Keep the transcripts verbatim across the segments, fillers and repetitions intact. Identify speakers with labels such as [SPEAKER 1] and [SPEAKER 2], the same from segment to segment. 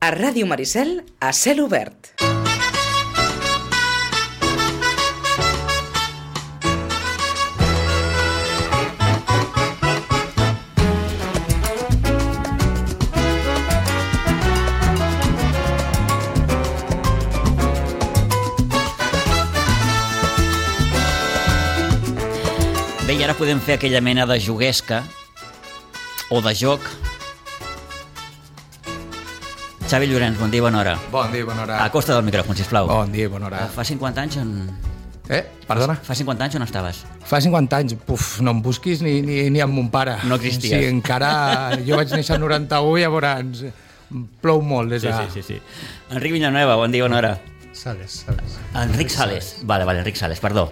[SPEAKER 1] A Ràdio Maricel, a cel obert.
[SPEAKER 2] Bé, i ara podem fer aquella mena de juguesca o de joc. Xavi Llorenç, bon dia i bona hora.
[SPEAKER 3] Bon dia i bona hora.
[SPEAKER 2] Acosta del micròfon, sisplau.
[SPEAKER 3] Bon dia i bona hora.
[SPEAKER 2] Fa cinquanta anys on...
[SPEAKER 3] Eh? Perdona?
[SPEAKER 2] Fa cinquanta anys on estaves?
[SPEAKER 3] Fa cinquanta anys. Puf, no em busquis ni, ni, ni amb mon pare.
[SPEAKER 2] No existies.
[SPEAKER 3] Sí, encara... Jo vaig néixer al noranta-u i llavors plou molt des de...
[SPEAKER 2] Sí, sí, sí, sí. Enric Villanueva, bon dia i bona hora.
[SPEAKER 4] Sales, Sales.
[SPEAKER 2] Enric Sales. Vale, vale, Enric Sales, perdó.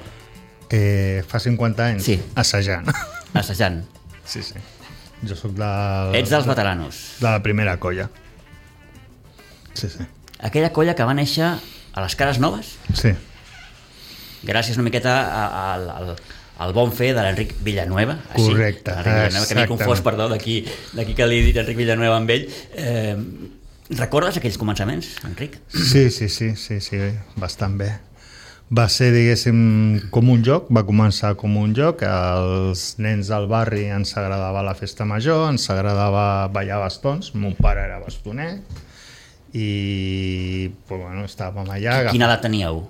[SPEAKER 4] Eh, fa cinquanta anys?
[SPEAKER 2] Sí.
[SPEAKER 4] Assajant.
[SPEAKER 2] Assajant.
[SPEAKER 4] Sí, sí. Jo sóc del...
[SPEAKER 2] Ets dels veteranos.
[SPEAKER 4] De la primera colla. Sí, sí.
[SPEAKER 2] Aquella colla que va néixer a les Cares Noves?
[SPEAKER 4] Sí.
[SPEAKER 2] Gràcies una miqueta al, al, al bon fer de l'Enric Villanueva. Així,
[SPEAKER 4] correcte.
[SPEAKER 2] Enric Villanueva, que m'he confós, perdó, d'aquí que li he dit Enric Villanueva amb ell. Eh, recordes aquells començaments, Enric?
[SPEAKER 4] Sí, sí, sí, sí, sí, bastant bé. Va ser, diguéssim, com un joc, va començar com un joc, els nens del barri ens agradava la festa major, ens agradava ballar bastons, mon pare era bastoner, i pues, bueno, estàvem allà...
[SPEAKER 2] Quina edat teníeu?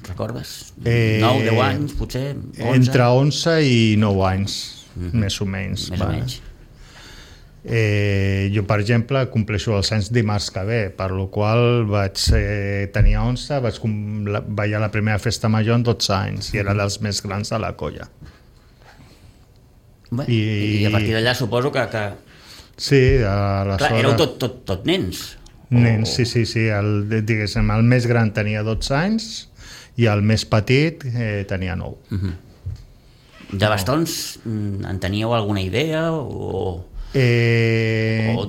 [SPEAKER 2] Recordes?
[SPEAKER 4] Eh,
[SPEAKER 2] nou, deu anys, potser? onze?
[SPEAKER 4] Entre onze i nou anys,
[SPEAKER 2] mm-hmm.
[SPEAKER 4] més o menys.
[SPEAKER 2] Més o menys.
[SPEAKER 4] Eh, jo, per exemple, compleixo els anys dimarts que ve, per la qual vaig eh, tenir onze, vaig la, ballar la primera festa major en dotze anys, i era dels més grans de la colla.
[SPEAKER 2] Bé, I, I a partir d'allà suposo que... que...
[SPEAKER 4] Sí, aleshores...
[SPEAKER 2] Clar, éreu tot, tot, tot nens.
[SPEAKER 4] Nens, o... sí, sí, sí. El, diguéssim, el més gran tenia dotze anys i el més petit eh, tenia nou.
[SPEAKER 2] Uh-huh. De bastons, no. En teníeu alguna idea o...?
[SPEAKER 4] Eh, o...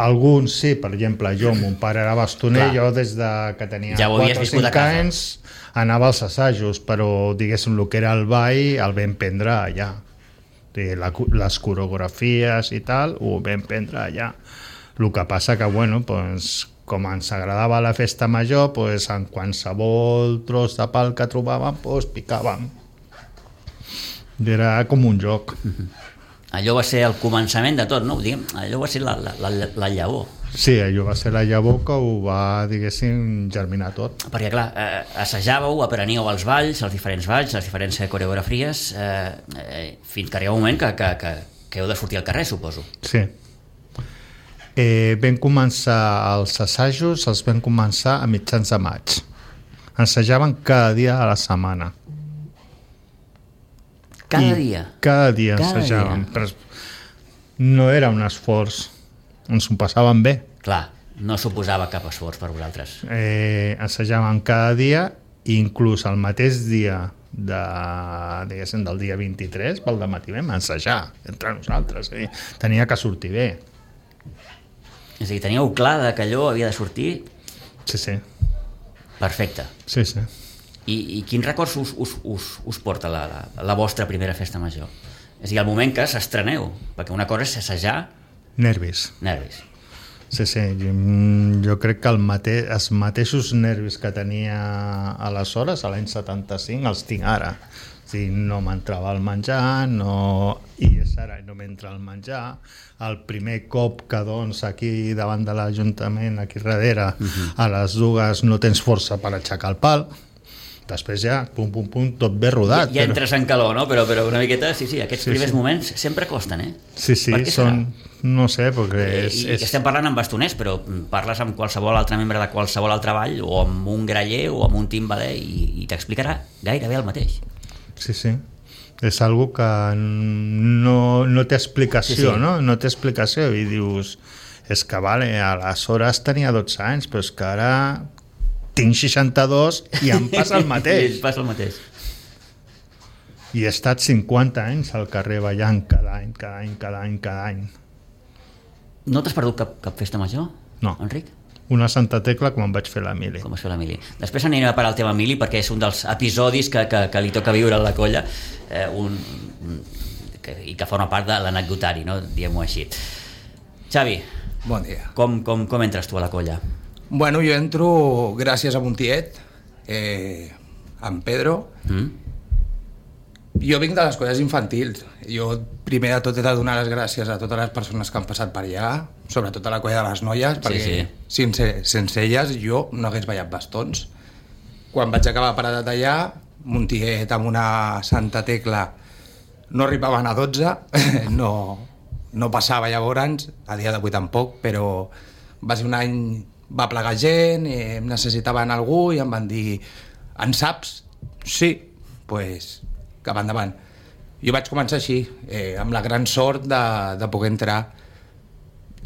[SPEAKER 4] Alguns sí, per exemple, jo, mon pare era bastoner, clar. Jo des de que tenia
[SPEAKER 2] ja
[SPEAKER 4] quatre o cinc anys anava als assajos, però diguéssim el que era el ball el vam prendre allà. La, les coreografies i tal ho vam prendre allà. El que passa que, bueno, pues, com ens agradava la festa major, pues, en qualsevol tros de pal que trobàvem, pues, picàvem. Era com un joc.
[SPEAKER 2] Allò va ser el començament de tot, no? Diguem, allò va ser la, la, la, la llavor.
[SPEAKER 4] Sí, allò va ser la llavor que ho va, diguéssim, germinar tot.
[SPEAKER 2] Perquè, clar, eh, assajàveu, apreníeu els balls, els diferents balls, les diferents coreografies, eh, eh, fins que arriba un moment que, que, que, que heu de sortir al carrer, suposo.
[SPEAKER 4] Sí. Eh, vam començar els assajos, els vam començar a mitjans de maig. Ensajaven cada dia a la setmana.
[SPEAKER 2] Cada dia?
[SPEAKER 4] Cada dia cada ensajàvem. Dia. Però no era un esforç, ens ho passàvem bé.
[SPEAKER 2] Clar, no suposava cap esforç per vosaltres.
[SPEAKER 4] Eh, ensajàvem cada dia, inclús el mateix dia de, diguéssim, del dia vint-i-tres, pel dematí vam ensajar entre nosaltres. Eh? Tenia que sortir bé.
[SPEAKER 2] És a dir, teníeu clar que allò havia de sortir?
[SPEAKER 4] Sí, sí.
[SPEAKER 2] Perfecte.
[SPEAKER 4] Sí, sí.
[SPEAKER 2] I, i quins records us, us, us, us porta la, la, la vostra primera festa major? És a dir, el moment que s'estreneu, perquè una cosa és assajar...
[SPEAKER 4] Nervis.
[SPEAKER 2] Nervis.
[SPEAKER 4] Sí, sí, jo, jo crec que el mate, els mateixos nervis que tenia aleshores, a l'any setanta-cinc, els tinc ara. O sigui, no m'entrava el menjar, no... i és ara, no m'entra el menjar. El primer cop que doncs aquí davant de l'Ajuntament, aquí darrere, uh-huh. a les dues no tens força per aixecar el pal. Després ja, pum, pum, pum, tot bé rodat.
[SPEAKER 2] Ja, ja entres però... en calor, no? Però, però una miqueta, sí, sí, aquests sí, primers sí. moments sempre costen, eh?
[SPEAKER 4] Sí, sí, són... No sé, perquè és...
[SPEAKER 2] I, i estem parlant amb bastoners, però parles amb qualsevol altre membre de qualsevol altre ball, o amb un graller, o amb un timbaler, i, i t'explicarà gairebé el mateix.
[SPEAKER 4] Sí, sí. És algo que no, no té explicació, sí, sí. no? No té explicació, i dius... És que, vale, aleshores tenia dotze anys, però és que ara... tinc seixanta-dos i em passa el mateix.
[SPEAKER 2] I passa el mateix.
[SPEAKER 4] I he estat cinquanta anys al carrer ballant cada any, cada any, cada any, cada any.
[SPEAKER 2] No t'has perdut cap, cap festa major,
[SPEAKER 4] no.
[SPEAKER 2] Enric?
[SPEAKER 4] Una Santa Tecla com em vaig fer la mili.
[SPEAKER 2] Com vas fer la mili. Després anirem a parar el tema mili perquè és un dels episodis que, que, que li toca viure a la colla eh, un, que, i que forma part de l'anecdotari, no? Diguem-ho així. Xavi,
[SPEAKER 3] Bon dia.
[SPEAKER 2] Com, com, com entres tu a la colla?
[SPEAKER 3] Bueno, jo entro gràcies a un tiet, eh, en Pedro.
[SPEAKER 2] Mm?
[SPEAKER 3] Jo vinc de les colles infantils. Jo primer de tot he de donar les gràcies a totes les persones que han passat per allà, sobretot a la colla de les noies, perquè
[SPEAKER 2] sí.
[SPEAKER 3] sense, sense elles jo no hagués ballat bastons. Quan vaig acabar paradat allà, un tiet amb una Santa Tecla no arribaven a dotze, no, no passava llavors, a dia d'avui tampoc, però va ser un any, va plegar gent, eh, necessitaven algú i em van dir, en saps? Sí, doncs pues, cap endavant. Jo vaig començar així, eh, amb la gran sort de, de poder entrar,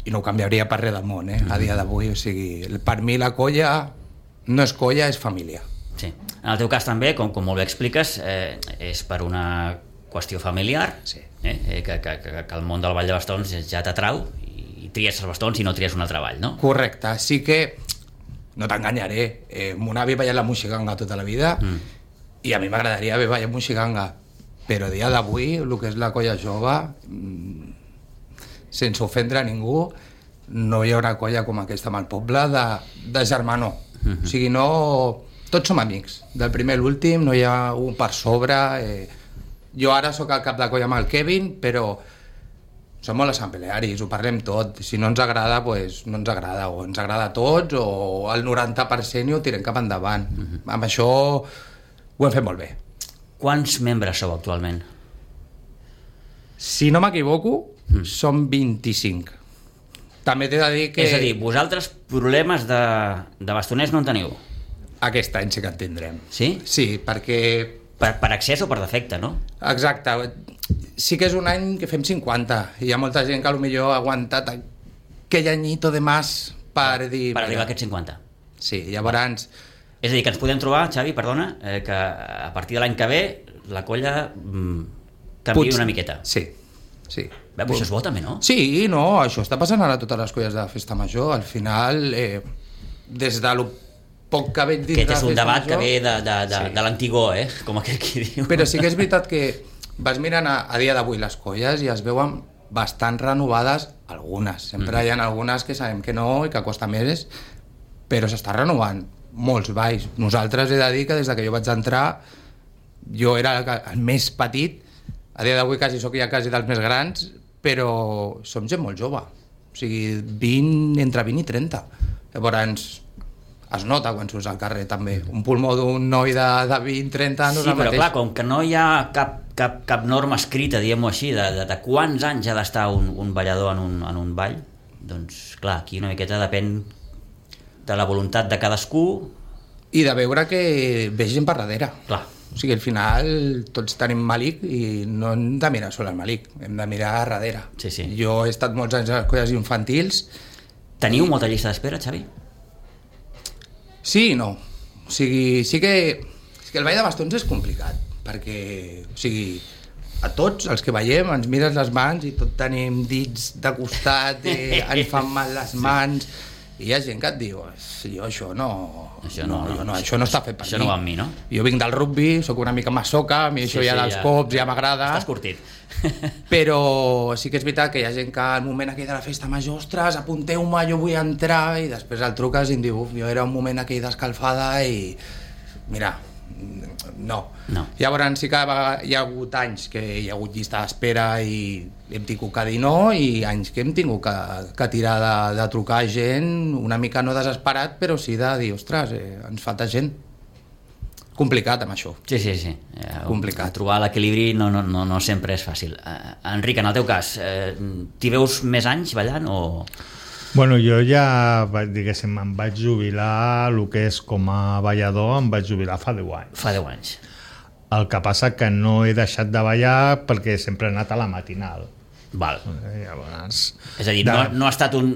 [SPEAKER 3] i no ho canviaria per res del món, eh, a dia d'avui. O sigui, per mi la colla no és colla, és família.
[SPEAKER 2] Sí. En el teu cas també, com, com molt bé expliques, eh, és per una qüestió familiar,
[SPEAKER 3] Sí.
[SPEAKER 2] eh, eh, que, que, que, que el món del ball de bastons ja t'atrau i tries els bastons i no tries un altre ball, no?
[SPEAKER 3] Correcte, sí que, no t'enganyaré, eh, mon avi ballat la moixiganga tota la vida, mm. i a mi m'agradaria haver ballat moixiganga, però a dia d'avui, el que és la colla jove, sense ofendre a ningú, no hi haurà colla com aquesta amb el poble de, de germanor. Mm-hmm. O sigui, no... Tots som amics, del primer a l'últim, no hi ha un per sobre. Eh... Jo ara sóc al cap de colla amb el Kevin, però som molt assemblearis, ho parlem tot. Si no ens agrada, pues, no ens agrada, o ens agrada a tots, o el noranta per cent i ho tirem cap endavant. Mm-hmm. Amb això ho hem fet molt bé.
[SPEAKER 2] Quants membres sou actualment?
[SPEAKER 3] Si no m'equivoco, mm. som vint-i-cinc. També t'he de dir que...
[SPEAKER 2] És a dir, vosaltres problemes de, de bastoners no en teniu?
[SPEAKER 3] Aquest any sí que en tindrem.
[SPEAKER 2] Sí?
[SPEAKER 3] Sí, perquè...
[SPEAKER 2] Per, per accés o per defecte, no?
[SPEAKER 3] Exacte. Sí que és un any que fem cinquanta. Hi ha molta gent que potser ha aguantat aquell anyito de mas per dir...
[SPEAKER 2] Per arribar a aquests cinquanta.
[SPEAKER 3] Sí, llavors...
[SPEAKER 2] És a dir, que ens podem trobar, Xavi, perdona, eh, que a partir de l'any que ve la colla mm, canvia Puig... una miqueta.
[SPEAKER 3] Sí, sí.
[SPEAKER 2] Bé, però això és bo també, no?
[SPEAKER 3] Sí, no, això està passant ara a totes les colles de festa major. Al final, eh, des de lo poc que veig dins de la festa major... Aquest és un debat
[SPEAKER 2] major, que ve de, de, de, sí. de l'antigó, eh? Com aquell qui diu.
[SPEAKER 3] Però sí que és veritat que vas mirant a, a dia d'avui les colles i es veuen bastant renovades algunes. Sempre mm. hi ha algunes que sabem que no i que costa més, però s'està renovant molts balls. Nosaltres he de dir que des que jo vaig entrar jo era el, el més petit, a dia d'avui quasi sóc ja quasi dels més grans, però som gent molt jove, o sigui, vint, entre vint i trenta. Llavors es nota quan surts al carrer també. Un pulmó d'un noi de, de vint trenta no és
[SPEAKER 2] sí,
[SPEAKER 3] el mateix.
[SPEAKER 2] Sí, però clar, com que no hi ha cap, cap, cap norma escrita, diguem-ho així, de, de, de quants anys ha d'estar un, un ballador en un, en un ball, doncs clar, aquí una miqueta depèn de la voluntat de cadascú
[SPEAKER 3] i de veure que ve gent per darrere.
[SPEAKER 2] Clar.
[SPEAKER 3] O sigui, al final tots tenim malic i no hem de mirar sol el malic, hem de mirar a darrere.
[SPEAKER 2] Sí, sí.
[SPEAKER 3] Jo he estat molts anys a les colles infantils.
[SPEAKER 2] Teniu
[SPEAKER 3] i...
[SPEAKER 2] molta llista d'espera, Xavi?
[SPEAKER 3] Sí i no. O sigui, sí que, sí que el ball de bastons és complicat, perquè, o sigui, a tots els que veiem ens mires les mans i tot tenim dits de costat, eh, ens fan mal les mans... Sí. I hi ha gent que et diu, jo això no...
[SPEAKER 2] Això no, no,
[SPEAKER 3] no, no, això no està fet per
[SPEAKER 2] això
[SPEAKER 3] mi.
[SPEAKER 2] no va amb mi, no?
[SPEAKER 3] Jo vinc del rugby, sóc una mica massoca, a mi
[SPEAKER 2] sí,
[SPEAKER 3] això ja
[SPEAKER 2] sí,
[SPEAKER 3] dels
[SPEAKER 2] ja,
[SPEAKER 3] cops ja m'agrada.
[SPEAKER 2] Estàs curtit.
[SPEAKER 3] Però sí que és veritat que hi ha gent que al moment aquell de la festa major, ostres, apunteu-me, jo vull entrar, i després el truques i em diu, jo era un moment aquell d'escalfada i... Mira, no.
[SPEAKER 2] no.
[SPEAKER 3] Llavors sí que hi ha hagut anys que hi ha hagut llista d'espera i hem tingut que dir no, i anys que hem tingut que, que tirar de, de trucar gent una mica no desesperat, però sí de dir, ostres, eh, ens falta gent. Complicat amb això.
[SPEAKER 2] Sí, sí, sí. Eh,
[SPEAKER 3] Complicat.
[SPEAKER 2] Trobar l'equilibri no, no, no, no sempre és fàcil. Eh, Enric, en el teu cas, eh, t'hi veus més anys ballant o...?
[SPEAKER 4] Bueno, jo ja, diguéssim, em vaig jubilar, el que és com a ballador, em vaig jubilar fa deu anys.
[SPEAKER 2] Fa deu anys.
[SPEAKER 4] El que passa que no he deixat de ballar perquè sempre he anat a la matinal.
[SPEAKER 2] Val.
[SPEAKER 4] Llavors,
[SPEAKER 2] és a dir,
[SPEAKER 4] de...
[SPEAKER 2] no, no ha estat un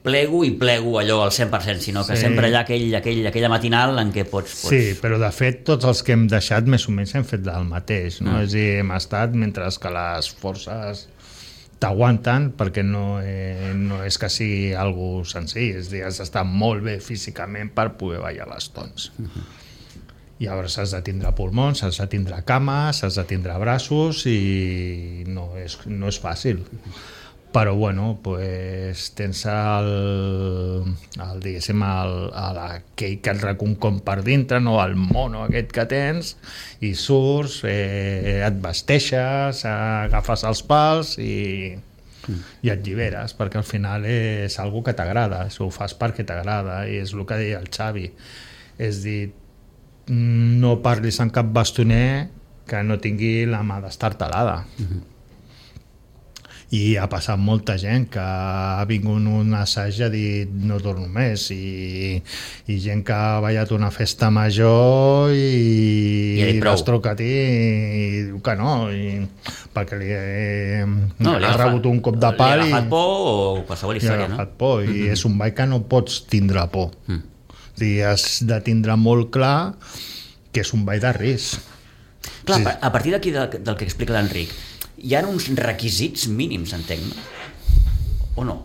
[SPEAKER 2] plego i plego allò al cent per cent, sinó que sí. sempre hi ha aquell, aquell, aquella matinal en què pots, pots...
[SPEAKER 4] Sí, però de fet tots els que hem deixat més o menys hem fet del mateix, no? Mm. És a dir, hem estat mentre que les forces t'aguanten, perquè no, eh, no és que sigui algo senzill, és a dir, has d'estar molt bé físicament per poder ballar bastons. Mm-hmm. Llavors has de tindre pulmons, has de tindre cames, has de tindre braços i no és, no és fàcil. però bueno, pues, tens el, el diguéssim el, el, aquell que et recull com per dintre, no? El mono aquest que tens, i surts, eh, et vesteixes, agafes els pals i, mm. i et lliberes, perquè al final és algo que t'agrada, ho fas perquè t'agrada, i és el que deia el Xavi, és dir, no parlis amb cap bastoner que no tingui la mà d'estar talada. Mm-hmm. I ha passat molta gent que ha vingut un assaig i ha dit no torno més, i, i gent que ha ballat una festa major i, I l'has trucat i, i diu que no, i, perquè li, eh, no, li ha rebut un cop de pal
[SPEAKER 2] li ha agafat por o qualsevol història, no?
[SPEAKER 4] Por, i mm-hmm. és un ball que no pots tindre por. Mm. O sigui, has de tindre molt clar que és un ball de risc.
[SPEAKER 2] Clar, sí. A partir d'aquí del, del que explica l'Enric, hi ha uns requisits mínims, entenc, no? O no?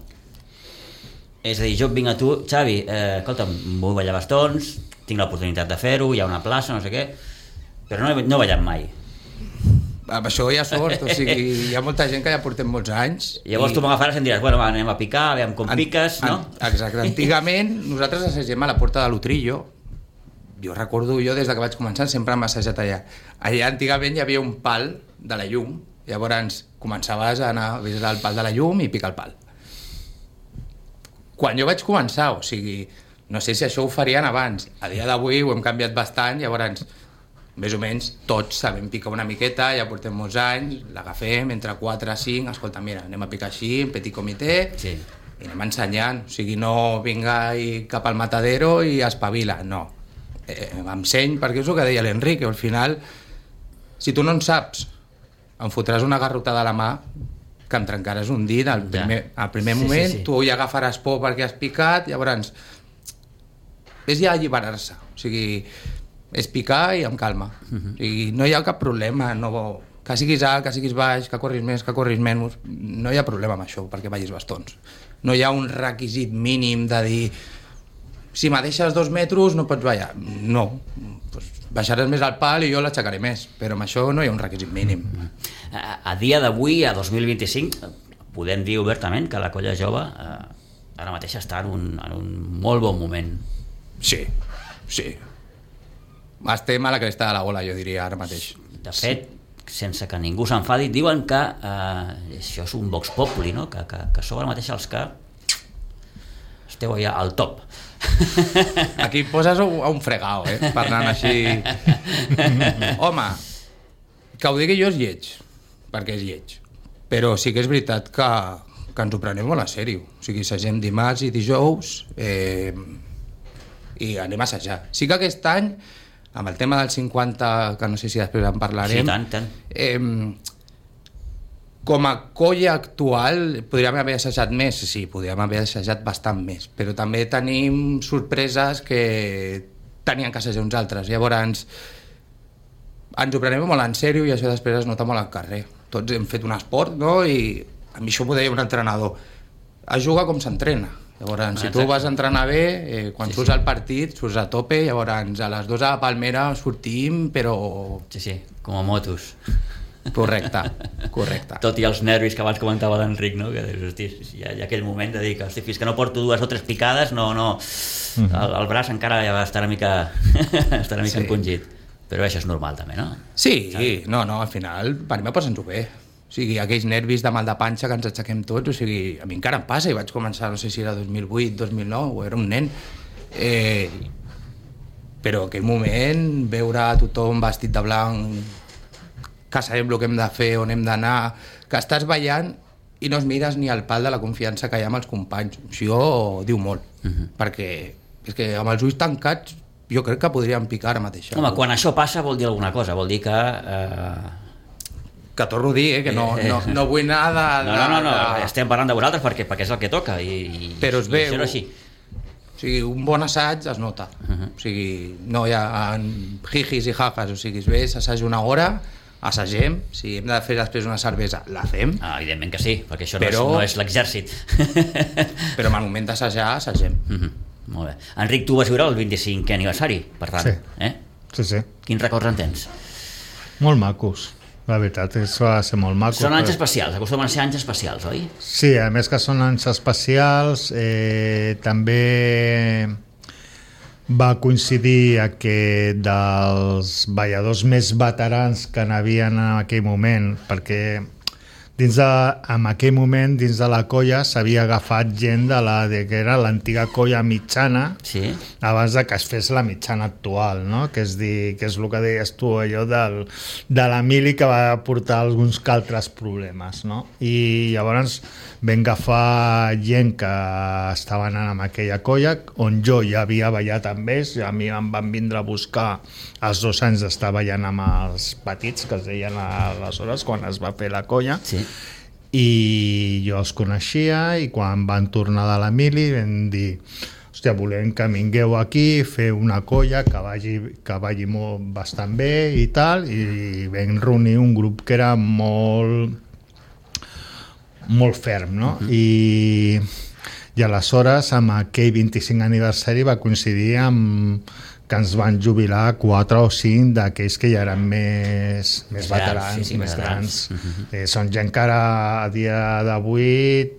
[SPEAKER 2] És a dir, jo vinc a tu, Xavi, eh, escolta'm, vull ballar bastons, tinc l'oportunitat de fer-ho, hi ha una plaça, no sé què, però no he, no he ballat mai.
[SPEAKER 3] Amb això hi ha sort, o sigui, hi ha molta gent que ja portem molts anys.
[SPEAKER 2] Llavors i... tu m'agafaràs i em diràs, bueno, va, anem a picar, aviam com an, piques, no?
[SPEAKER 3] An, exacte, antigament nosaltres assagem a la Porta de l'Utrillo. Jo recordo, jo des que vaig començar sempre hem assajat allà. Allà antigament hi havia un pal de la llum, llavors començaves a anar a visitar el pal de la llum i picar el pal. Quan jo vaig començar, o sigui, no sé si això ho farien abans, a dia d'avui ho hem canviat bastant, llavors més o menys tots sabem picar una miqueta, ja portem molts anys, l'agafem entre quatre i cinc, escolta, mira, anem a picar així, en petit comitè, sí. I anem ensenyant, o sigui, no vinga i cap al matadero i espavila, no. Eh, m'enseny, perquè és el que deia l'Enric, al final, si tu no en saps, em fotràs una garrotada a la mà que em trencaràs un dit al primer, ja. Al primer sí, moment, sí, sí. Tu ja agafaràs por perquè has picat, llavors és ja alliberar-se, o sigui, és picar i amb calma, uh-huh. O sigui, no hi ha cap problema, no, que siguis alt, que siguis baix, que corris més, que corris menys, no hi ha problema amb això perquè ballis bastons, no hi ha un requisit mínim de dir si me deixes dos metres no pots ballar, no, pues baixaràs més al pal i jo l'aixecaré més, però amb això no hi ha un requisit mínim.
[SPEAKER 2] A, a dia d'avui, a dos mil vint-i-cinc, podem dir obertament que la colla jove eh, ara mateix està en un, en un molt bon moment.
[SPEAKER 3] Sí, sí. Estem a la cresta de la ola, jo diria, ara mateix.
[SPEAKER 2] De fet, sí. Sense que ningú s'enfadi, diuen que eh, això és un vox populi, no? que, que, que sou ara mateix els que esteu allà al top.
[SPEAKER 3] Aquí poses a un fregau, eh? Parlant així. Home, que ho digui jo és lleig, perquè és lleig. Però sí que és veritat que, que ens ho prenem molt a sèrio. O sigui, assagem dimarts i dijous eh, i anem a assajar. Sí que aquest any, amb el tema del cinquanta, que no sé si després en parlarem...
[SPEAKER 2] Sí, tant, tant.
[SPEAKER 3] Eh, com a colla actual podríem haver assajat més, sí, podríem haver assajat bastant més, però també tenim sorpreses que tenien que assajar uns altres, llavors ens ho prenem molt en sèrio i això després es nota molt al carrer. Tots hem fet un esport, no? I a mi això m'ho deia un entrenador, es juga com s'entrena, llavors si tu vas a entrenar bé, eh, quan sí, surts sí. Al partit surts a tope, llavors a les dues a la Palmera sortim, però...
[SPEAKER 2] Sí, sí, com a motos.
[SPEAKER 3] Correcte, correcte.
[SPEAKER 2] Tot i els nervis que abans comentava l'Enric, no? Que dius, hosti, hi ha, hi ha aquell moment de dir que hosti, fins que no porto dues o tres picades no, no, mm-hmm. el, el braç encara ja va estar una mica, estar una mica sí. Encongit, però això és normal també, no?
[SPEAKER 3] Sí, ¿sabes? no, no, al final per mi passa'ns-ho bé, o sigui, aquells nervis de mal de panxa que ens aixequem tots, o sigui, a mi encara em passa, i vaig començar, no sé si era dos mil vuit, dos mil nou, o era un nen, eh, però aquell moment veure tothom vestit de blanc, que sabem el que hem de fer, on hem d'anar, que estàs ballant i no es mires ni al pal de la confiança que hi ha amb els companys. Això diu molt, uh-huh. perquè és que amb els ulls tancats jo crec que podríem picar ara mateix.
[SPEAKER 2] Home, quan això passa vol dir alguna cosa, vol dir que... Eh...
[SPEAKER 3] Que torno a dir, eh, que no, no, no vull anar de...
[SPEAKER 2] No, no, no, no, de... estem parlant de vosaltres perquè, perquè és el que toca i, i,
[SPEAKER 3] però es
[SPEAKER 2] i
[SPEAKER 3] veu,
[SPEAKER 2] això així.
[SPEAKER 3] O sigui, un bon assaig es nota, uh-huh. O sigui, no hi ha jijis i jajas, o sigui, es ve, s'assaig una hora, assagem, si hem de fer després una cervesa, la fem.
[SPEAKER 2] Ah, evidentment que sí, perquè això
[SPEAKER 3] però,
[SPEAKER 2] no, és, no és l'exèrcit.
[SPEAKER 3] Però en el moment d'assajar, assagem.
[SPEAKER 2] Mm-hmm. Molt bé. Enric, tu vas viure el vint-i-cinquè aniversari, per tant.
[SPEAKER 4] Sí.
[SPEAKER 2] Eh?
[SPEAKER 4] Sí, sí.
[SPEAKER 2] Quins records en tens?
[SPEAKER 4] Molt macos. La veritat és que va ser molt maco.
[SPEAKER 2] Són anys
[SPEAKER 4] però...
[SPEAKER 2] especials, acostumen a ser anys especials, oi?
[SPEAKER 4] Sí, a més que són anys especials, eh, també va coincidir que dels balladors més veterans que n'havien en aquell moment, perquè dins de, en aquell moment dins de la colla s'havia agafat gent de la de que era l'antiga colla mitjana,
[SPEAKER 2] Sí.
[SPEAKER 4] abans de que es fes la mitjana actual, no? Que és, dir, que és el que deies tu, allò del, de la mili que va portar alguns que altres problemes, no? I llavors vam agafar gent que estaven en aquella colla, on jo ja havia ballat amb ells, i a mi em van vindre a buscar els dos anys d'estar ballant amb els petits, que es deien aleshores, quan es va fer la colla,
[SPEAKER 2] Sí.
[SPEAKER 4] i jo els coneixia, i quan van tornar de la mili vam dir, hòstia, volem que vingueu aquí, fer una colla que vagi, que vagi molt, bastant bé i tal, i vam reunir un grup que era molt molt ferm, no? Uh-huh. I, i aleshores amb aquell vint-i-cinc aniversari va coincidir amb que ens van jubilar quatre o cinc d'aquells que ja eren més, més
[SPEAKER 2] Més
[SPEAKER 4] veterans,
[SPEAKER 2] grans, sí, sí,
[SPEAKER 4] més grans.
[SPEAKER 2] grans. Uh-huh.
[SPEAKER 4] eh, són gent que ara a dia d'avui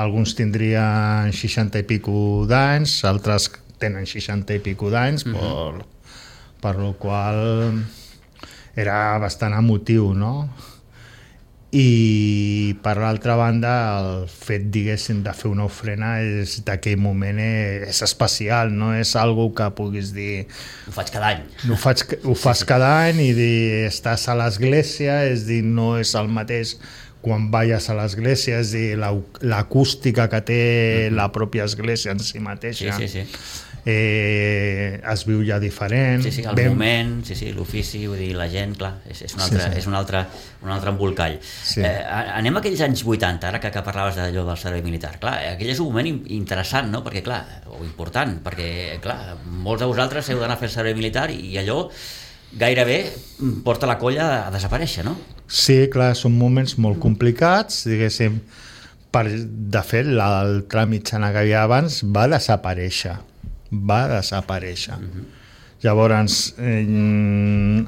[SPEAKER 4] alguns tindrien seixanta i pico d'anys, altres tenen seixanta i pico d'anys, uh-huh. per, per lo qual era bastant emotiu, no? I per l'altra banda el fet, diguéssim, de fer una ofrena és d'aquell moment és especial, no és algo que puguis dir
[SPEAKER 2] Ho faig cada any.
[SPEAKER 4] ho, faig, ho fas cada any i dir, estàs a l'església, és dir, no és el mateix quan balles a l'església, és dir, l'acústica que té la pròpia església en si mateixa.
[SPEAKER 2] Sí, sí, sí.
[SPEAKER 4] Eh, es viu ja diferent.
[SPEAKER 2] Sí, sí, el
[SPEAKER 4] ben...
[SPEAKER 2] moment, sí, sí, l'ofici, vull dir, la gent, clar, és, és, un, altre,
[SPEAKER 4] Sí, sí.
[SPEAKER 2] és un, altre, un altre embolcall.
[SPEAKER 4] Sí.
[SPEAKER 2] Eh, anem a aquells anys vuitanta, ara que, que parlaves d'allò del servei militar. Clar, aquell és un moment in- interessant, no? Perquè, clar, o important, perquè, clar, molts de vosaltres heu d'anar a fer el servei militar i allò gairebé porta la colla a desaparèixer, no?
[SPEAKER 4] Sí, clar, són moments molt complicats, diguéssim, per, de fet, l'altra mitjana que hi havia abans va desaparèixer, va desaparèixer. Uh-huh. Llavors, eh,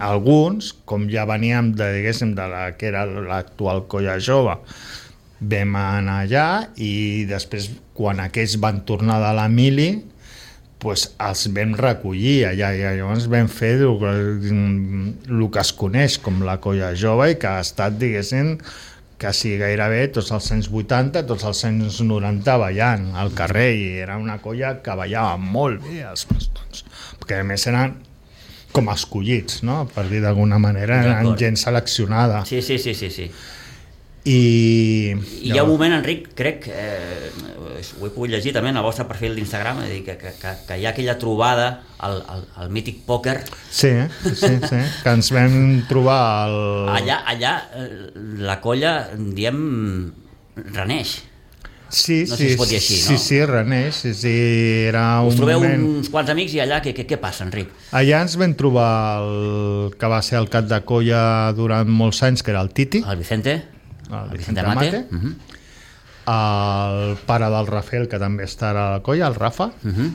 [SPEAKER 4] alguns, com ja veníem de, diguéssim, de la que era l'actual colla jove, vam anar allà i després, quan aquells van tornar de la mili, pues, els vam recollir allà i llavors vam fer el, el que es coneix com la colla jove i que ha estat, diguéssim, quasi gairebé tots els anys vuitanta, tots els anys noranta ballant al carrer, i era una colla que ballava molt bé els bastons, perquè a més eren com escollits, no? Per dir d'alguna manera, eren gent seleccionada.
[SPEAKER 2] Sí, sí, sí, sí, sí.
[SPEAKER 4] I,
[SPEAKER 2] I hi ha un moment, Enric, crec, eh, ho he pogut llegir també en el vostre perfil d'Instagram, és a dir, que, que, que, que hi ha aquella trobada al, al, al mític pòquer.
[SPEAKER 4] Sí, sí, sí, que ens vam trobar al...
[SPEAKER 2] Allà, allà eh, la colla, diem, reneix.
[SPEAKER 4] Sí,
[SPEAKER 2] No sé
[SPEAKER 4] sí,
[SPEAKER 2] si es pot dir així,
[SPEAKER 4] sí,
[SPEAKER 2] no?
[SPEAKER 4] sí, reneix, sí, sí, era un
[SPEAKER 2] Us trobeu
[SPEAKER 4] moment...
[SPEAKER 2] uns quants amics i allà què, què, què passa, Enric?
[SPEAKER 4] Allà ens vam trobar el que va ser el cap de colla durant molts anys, que era el Titi,
[SPEAKER 2] El Vicente,
[SPEAKER 4] el
[SPEAKER 2] el
[SPEAKER 4] Vicente
[SPEAKER 2] Vicente Mate,
[SPEAKER 4] Mate.
[SPEAKER 2] uh -huh.
[SPEAKER 4] el pare del Rafael, que també està a la colla, el Rafa,
[SPEAKER 2] Uh -huh.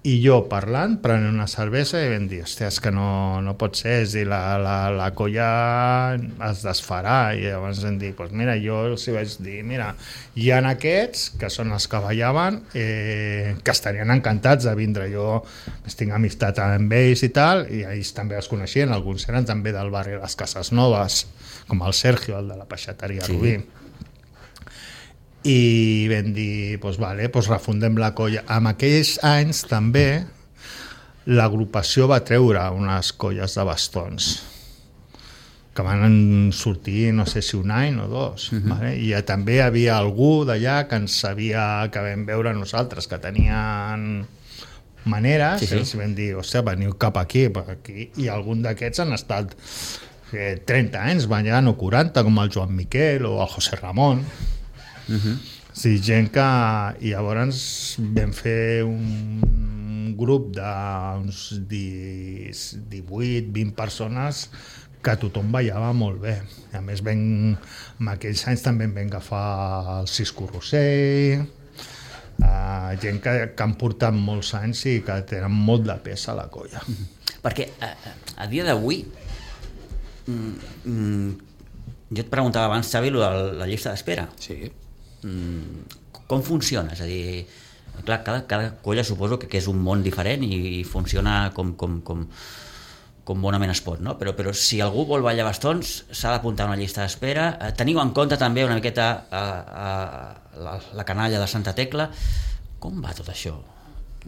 [SPEAKER 4] i jo parlant, prenent una cervesa, i vam dir, hòstia, és que no, no pot ser, és dir, la, la, la colla es desfarà, i llavors vam dir, pues mira, jo els hi vaig dir, mira, hi ha aquests, que són els que ballaven, eh, que estarien encantats de vindre, jo tinc amistat amb ells i tal, i ells també els coneixien, alguns eren també del barri de les Cases Noves, com el Sergio, el de la peixateria
[SPEAKER 2] Sí.
[SPEAKER 4] Rubí. I vam dir, doncs vale, doncs refundem la colla. En aquells anys també l'agrupació va treure unes colles de bastons que van sortir, no sé si un any o dos, uh-huh. vale? I també hi havia algú d'allà que ens sabia, que vam veure nosaltres, que tenien maneres,
[SPEAKER 2] Sí, sí.
[SPEAKER 4] i els vam dir, hòstia, veniu cap aquí, per aquí, i algun d'aquests han estat eh, trenta anys ballant o quaranta, com el Joan Miquel o el José Ramon.
[SPEAKER 2] Uh-huh.
[SPEAKER 4] Sí, gent que... I llavors vam fer un grup d'uns divuit vint persones que tothom ballava molt bé. I a més, vam, en aquells anys també vam agafar el Cisco Rossell, uh, gent que, que han portat molts anys i que tenen molt de pes a la colla.
[SPEAKER 2] Perquè a, a dia d'avui mm, mm, jo et preguntava abans, Xavi, lo de la llista d'espera.
[SPEAKER 3] Sí.
[SPEAKER 2] Mm, com funciona? És a dir, clar, cada, cada colla suposo que, que és un món diferent i, i funciona com, com, com, com bonament es pot, no? Però, però si algú vol ballar bastons s'ha d'apuntar a una llista d'espera. Eh, teniu en compte també una miqueta a, a, la, la canalla de Santa Tecla. Com va tot això?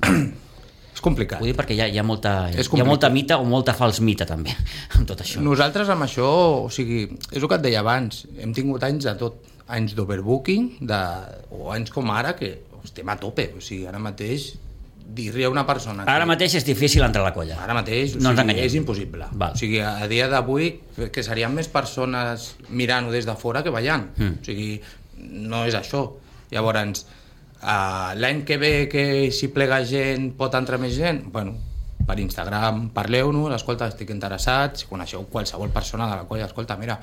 [SPEAKER 3] És complicat.
[SPEAKER 2] Vull dir perquè hi ha, hi ha, molta, hi ha
[SPEAKER 3] complicat.
[SPEAKER 2] molta mita o molta fals mita també amb tot això.
[SPEAKER 3] Nosaltres amb això, o sigui, és el que et deia abans, hem tingut anys de tot, anys d'overbooking, de, o anys com ara que estem a tope, o sigui, ara mateix dir-li a una persona...
[SPEAKER 2] Ara
[SPEAKER 3] que,
[SPEAKER 2] mateix és difícil entrar a la colla.
[SPEAKER 3] Ara mateix, o
[SPEAKER 2] no
[SPEAKER 3] sigui,
[SPEAKER 2] ens enganyem.
[SPEAKER 3] és impossible.
[SPEAKER 2] Val.
[SPEAKER 3] O sigui, a dia d'avui, que serien més persones mirant-ho des de fora que ballant.
[SPEAKER 2] Mm.
[SPEAKER 3] O sigui, no és això. Llavors, uh, l'any que ve que si plega gent pot entrar més gent, bueno, per Instagram parleu-nos, escolta, estic interessat, si coneixeu qualsevol persona de la colla, escolta, mira,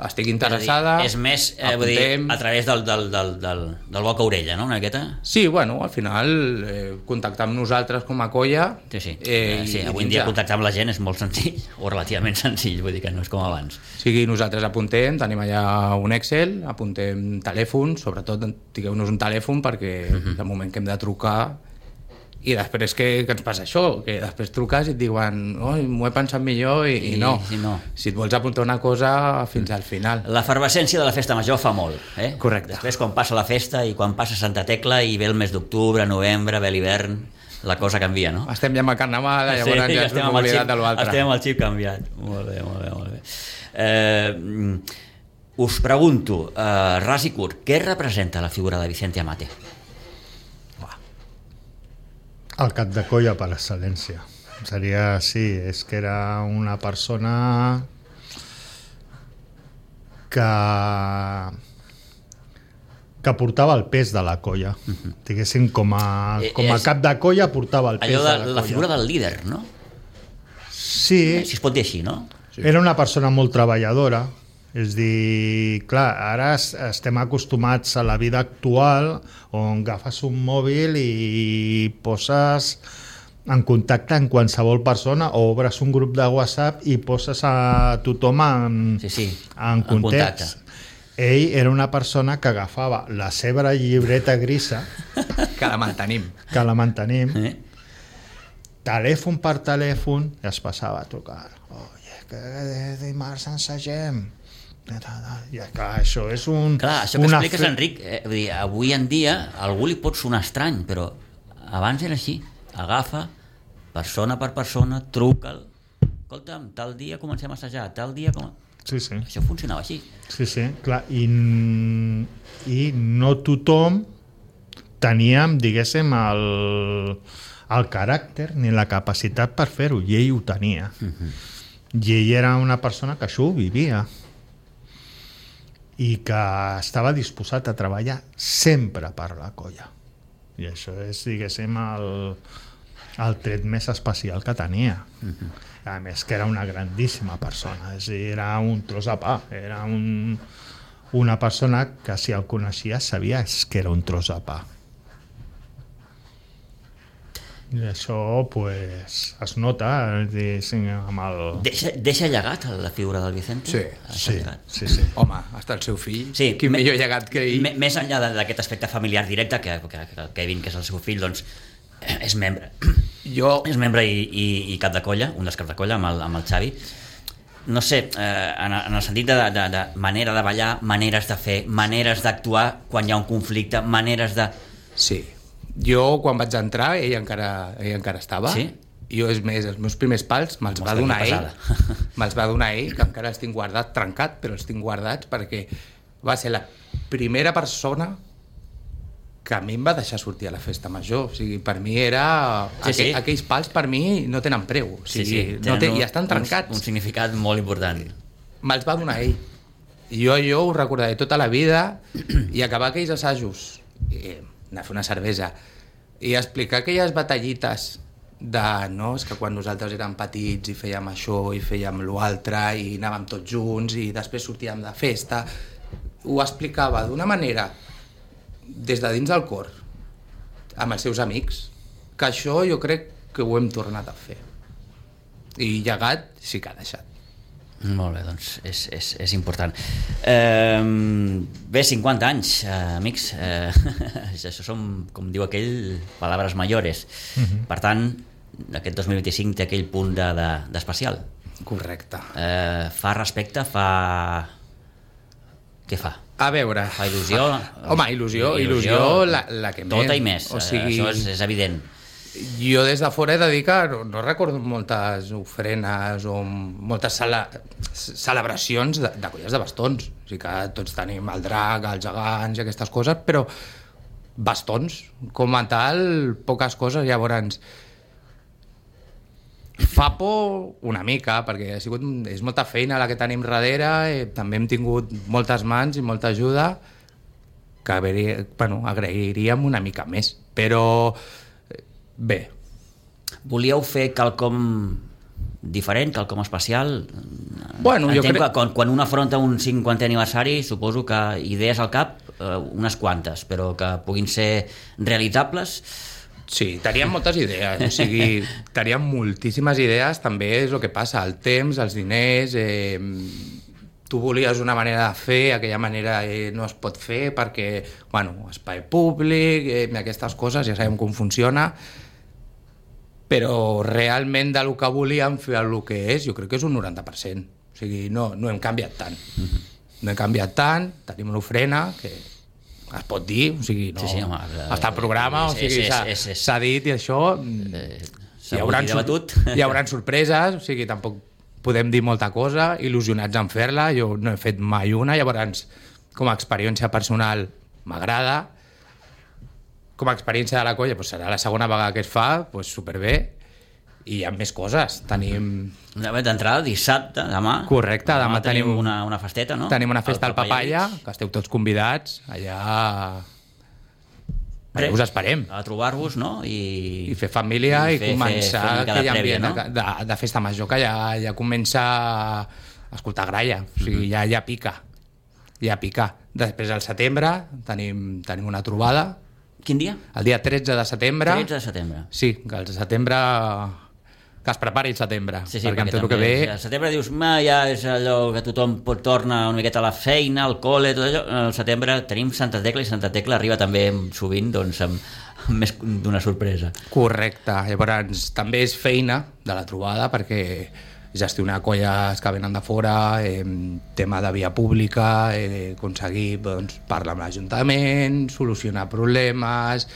[SPEAKER 3] estic interessada,
[SPEAKER 2] és, dir, és més, eh, vull dir, a través del, del, del, del, del boca a orella, no?, una miqueta?
[SPEAKER 3] Sí, bueno, al final eh, contactar amb nosaltres com a colla...
[SPEAKER 2] Sí, sí,
[SPEAKER 3] eh,
[SPEAKER 2] sí
[SPEAKER 3] i,
[SPEAKER 2] avui en dia contactar amb la gent és molt senzill, o relativament senzill, vull dir que no és com abans.
[SPEAKER 3] O sigui, nosaltres apuntem, tenim allà un Excel, apuntem telèfon, sobretot digueu-nos un telèfon perquè uh-huh. de moment que hem de trucar. I després que, que ens passa això, que després truques i et diuen oi, m'ho he pensat millor i, i, i no.
[SPEAKER 2] Sí, no.
[SPEAKER 3] Si et vols apuntar una cosa fins al final.
[SPEAKER 2] L'efervescència de la festa major fa molt, eh?
[SPEAKER 3] Correcte.
[SPEAKER 2] Després quan passa la festa i quan passa Santa Tecla i ve el mes d'octubre, novembre, ve l'hivern, la cosa canvia, no?
[SPEAKER 3] Estem ja amb el carnaval, llavors
[SPEAKER 2] sí,
[SPEAKER 3] ja ens hem oblidat de l'altre.
[SPEAKER 2] Estem amb el xip canviat. Molt bé, molt bé, molt bé. Eh, us pregunto, eh, ras i curt, què representa la figura de Vicente Amate?
[SPEAKER 4] El cap de colla per excel·lència. Seria, sí, és que era una persona que que portava el pes de la colla. Uh-huh. Diguéssim, com a, com a cap de colla portava el pes
[SPEAKER 2] allò de,
[SPEAKER 4] de la colla.
[SPEAKER 2] La figura del líder, no?
[SPEAKER 4] Sí.
[SPEAKER 2] Si es pot dir així, no?
[SPEAKER 4] Sí. Era una persona molt treballadora. És dir, clar, ara estem acostumats a la vida actual on agafes un mòbil i poses en contacte amb qualsevol persona o obres un grup de WhatsApp i poses a tothom en,
[SPEAKER 2] sí, sí,
[SPEAKER 4] en context. En Ell era una persona que agafava la seva llibreta grisa
[SPEAKER 3] que la mantenim.
[SPEAKER 4] Que la mantenim.
[SPEAKER 2] Eh?
[SPEAKER 4] Telèfon per telèfon i es passava a trucar. Oye, que dimarts ensagem. I clar, això és un...
[SPEAKER 2] Clar, això que expliques, fe... Enric, eh, vull dir, avui en dia a algú li pot sonar estrany, però abans era així. Agafa, persona per persona, truca'l. Escolta'm, tal dia comencem a assajar, tal dia... Com...
[SPEAKER 4] Sí, sí.
[SPEAKER 2] Això funcionava així.
[SPEAKER 4] Sí, sí, clar. I, i no tothom teníem, diguéssim, el, el caràcter ni la capacitat per fer-ho, i ell ho tenia. Uh-huh. I ell era una persona que això ho vivia i que estava disposat a treballar sempre per la colla. I això és, diguéssim, el, el tret més especial que tenia. Uh-huh. A més que era una grandíssima persona, és a dir, era un tros de pa, era un, una persona que si el coneixies sabies que era un tros de pa. I això pues, es nota diguéssim, amb el...
[SPEAKER 2] Deixa, deixa llegat la figura del Vicente?
[SPEAKER 3] Sí,
[SPEAKER 2] sí,
[SPEAKER 3] sí, sí. Home, hasta el seu fill,
[SPEAKER 2] sí,
[SPEAKER 3] quin
[SPEAKER 2] me,
[SPEAKER 3] millor llegat que ell.
[SPEAKER 2] Me, més enllà d'aquest aspecte familiar directe, que, que, que el Kevin, que és el seu fill, doncs és membre.
[SPEAKER 3] Jo...
[SPEAKER 2] És membre i, i, i cap de colla, un dels caps de colla, amb el, amb el Xavi. No sé, eh, en, en el sentit de, de, de manera de ballar, maneres de fer, maneres d'actuar quan hi ha un conflicte, maneres de...
[SPEAKER 3] Sí. Jo, quan vaig entrar, ell encara, ell encara estava.
[SPEAKER 2] Sí?
[SPEAKER 3] Jo, és més, els meus primers pals me'ls va donar ell. Me'ls va donar ell, que encara els tinc guardats, trencat, però els tinc guardats, perquè va ser la primera persona que a mi em va deixar sortir a la festa major. O sigui, per mi era...
[SPEAKER 2] Sí, aquell,
[SPEAKER 3] sí. Aquells pals, per mi, no tenen preu. O sigui,
[SPEAKER 2] sí, sí.
[SPEAKER 3] No té,
[SPEAKER 2] un,
[SPEAKER 3] ja estan trencats.
[SPEAKER 2] Un, un significat molt important.
[SPEAKER 3] Me'ls va donar ell. I jo, jo ho recordaré tota la vida, i acabar aquells assajos... I, anar a fer una cervesa i explicar aquelles batallites de, no, és que quan nosaltres érem petits i fèiem això i fèiem l'altre i anàvem tots junts i després sortíem de festa, ho explicava d'una manera des de dins del cor amb els seus amics, que això jo crec que ho hem tornat a fer, i llegat sí que ha deixat.
[SPEAKER 2] Molt bé, doncs és, és, és important. Eh, bé, cinquanta anys, eh, amics. Eh, això són, com diu aquell, palabras mayores. Uh-huh. Per tant, aquest dos mil vint-i-cinc té aquell punt de, de, d'especial.
[SPEAKER 3] Correcte.
[SPEAKER 2] Eh, fa respecte, fa... Què fa?
[SPEAKER 3] A veure...
[SPEAKER 2] Fa il·lusió?
[SPEAKER 3] Home, il·lusió, il·lusió, il·lusió la, la que més.
[SPEAKER 2] Tota i més,
[SPEAKER 3] o sigui,
[SPEAKER 2] això és, és evident.
[SPEAKER 3] Jo des de fora he de dir que no, no recordo moltes ofrenes o moltes cele, celebracions de, de colles de bastons. O sigui que tots tenim el drac, els gegants i aquestes coses, però bastons, com a tal, poques coses. Llavors, fa por una mica, perquè ha sigut, és molta feina la que tenim darrere, eh, també hem tingut moltes mans i molta ajuda, que bueno, agrairíem una mica més. Però bé.
[SPEAKER 2] Volíeu fer quelcom diferent, quelcom especial?
[SPEAKER 3] Bueno, jo
[SPEAKER 2] Entenc
[SPEAKER 3] crec...
[SPEAKER 2] que quan, quan un afronta un cinquantè aniversari, suposo que idees al cap, eh, unes quantes, però que puguin ser realitzables.
[SPEAKER 3] Sí, teníem moltes idees, o sigui, teníem moltíssimes idees, també és el que passa, el temps, els diners... Eh, tu volies una manera de fer, aquella manera eh, no es pot fer perquè, bueno, espai públic, eh, aquestes coses, ja sabem com funciona, però realment del que volíem fer el que és, jo crec que és un noranta per cent. O sigui, no, no hem canviat tant. Mm-hmm. No hem canviat tant, tenim una ofrena que es pot dir, o sigui, no,
[SPEAKER 2] sí, sí, home,
[SPEAKER 3] està al programa, o sigui, s'ha dit i això...
[SPEAKER 2] Eh,
[SPEAKER 3] hi haurà, hi haurà sorpreses, o sigui, tampoc podem dir molta cosa, il·lusionats en fer-la, jo no he fet mai una, llavors com a experiència personal m'agrada, com a experiència de la colla doncs serà la segona vegada que es fa, doncs superbé, i hi ha més coses, tenim...
[SPEAKER 2] D'entrada, dissabte, demà.
[SPEAKER 3] Correcte, demà, demà tenim,
[SPEAKER 2] tenim una, una festeta, no?
[SPEAKER 3] Tenim una festa al Papaya, que esteu tots convidats, allà... Allà us esperem.
[SPEAKER 2] A trobar-vos, no? I,
[SPEAKER 3] I fer família i, fer, i començar
[SPEAKER 2] fer, fer
[SPEAKER 3] aquell
[SPEAKER 2] prèvia,
[SPEAKER 3] ambient
[SPEAKER 2] no?
[SPEAKER 3] de, de, de festa major, que ja, ja comença a escoltar gralla, o sigui, ja, ja pica, ja pica. Després al setembre tenim, tenim una trobada.
[SPEAKER 2] Quin dia?
[SPEAKER 3] El dia tretze de setembre.
[SPEAKER 2] tretze de setembre.
[SPEAKER 3] Sí, que el setembre... que es prepari el setembre,
[SPEAKER 2] sí, sí,
[SPEAKER 3] perquè,
[SPEAKER 2] perquè
[SPEAKER 3] amb tot el que ve...
[SPEAKER 2] El setembre dius, ma, ja és allò que tothom pot tornar una miqueta a la feina, al col·le, tot allò. El setembre tenim Santa Tecla i Santa Tecla arriba també sovint doncs, amb, amb més d'una sorpresa.
[SPEAKER 3] Correcte, llavors també és feina de la trobada perquè gestionar colles que venen de fora, eh, tema de via pública, eh, aconseguir doncs, parlar amb l'Ajuntament, solucionar problemes...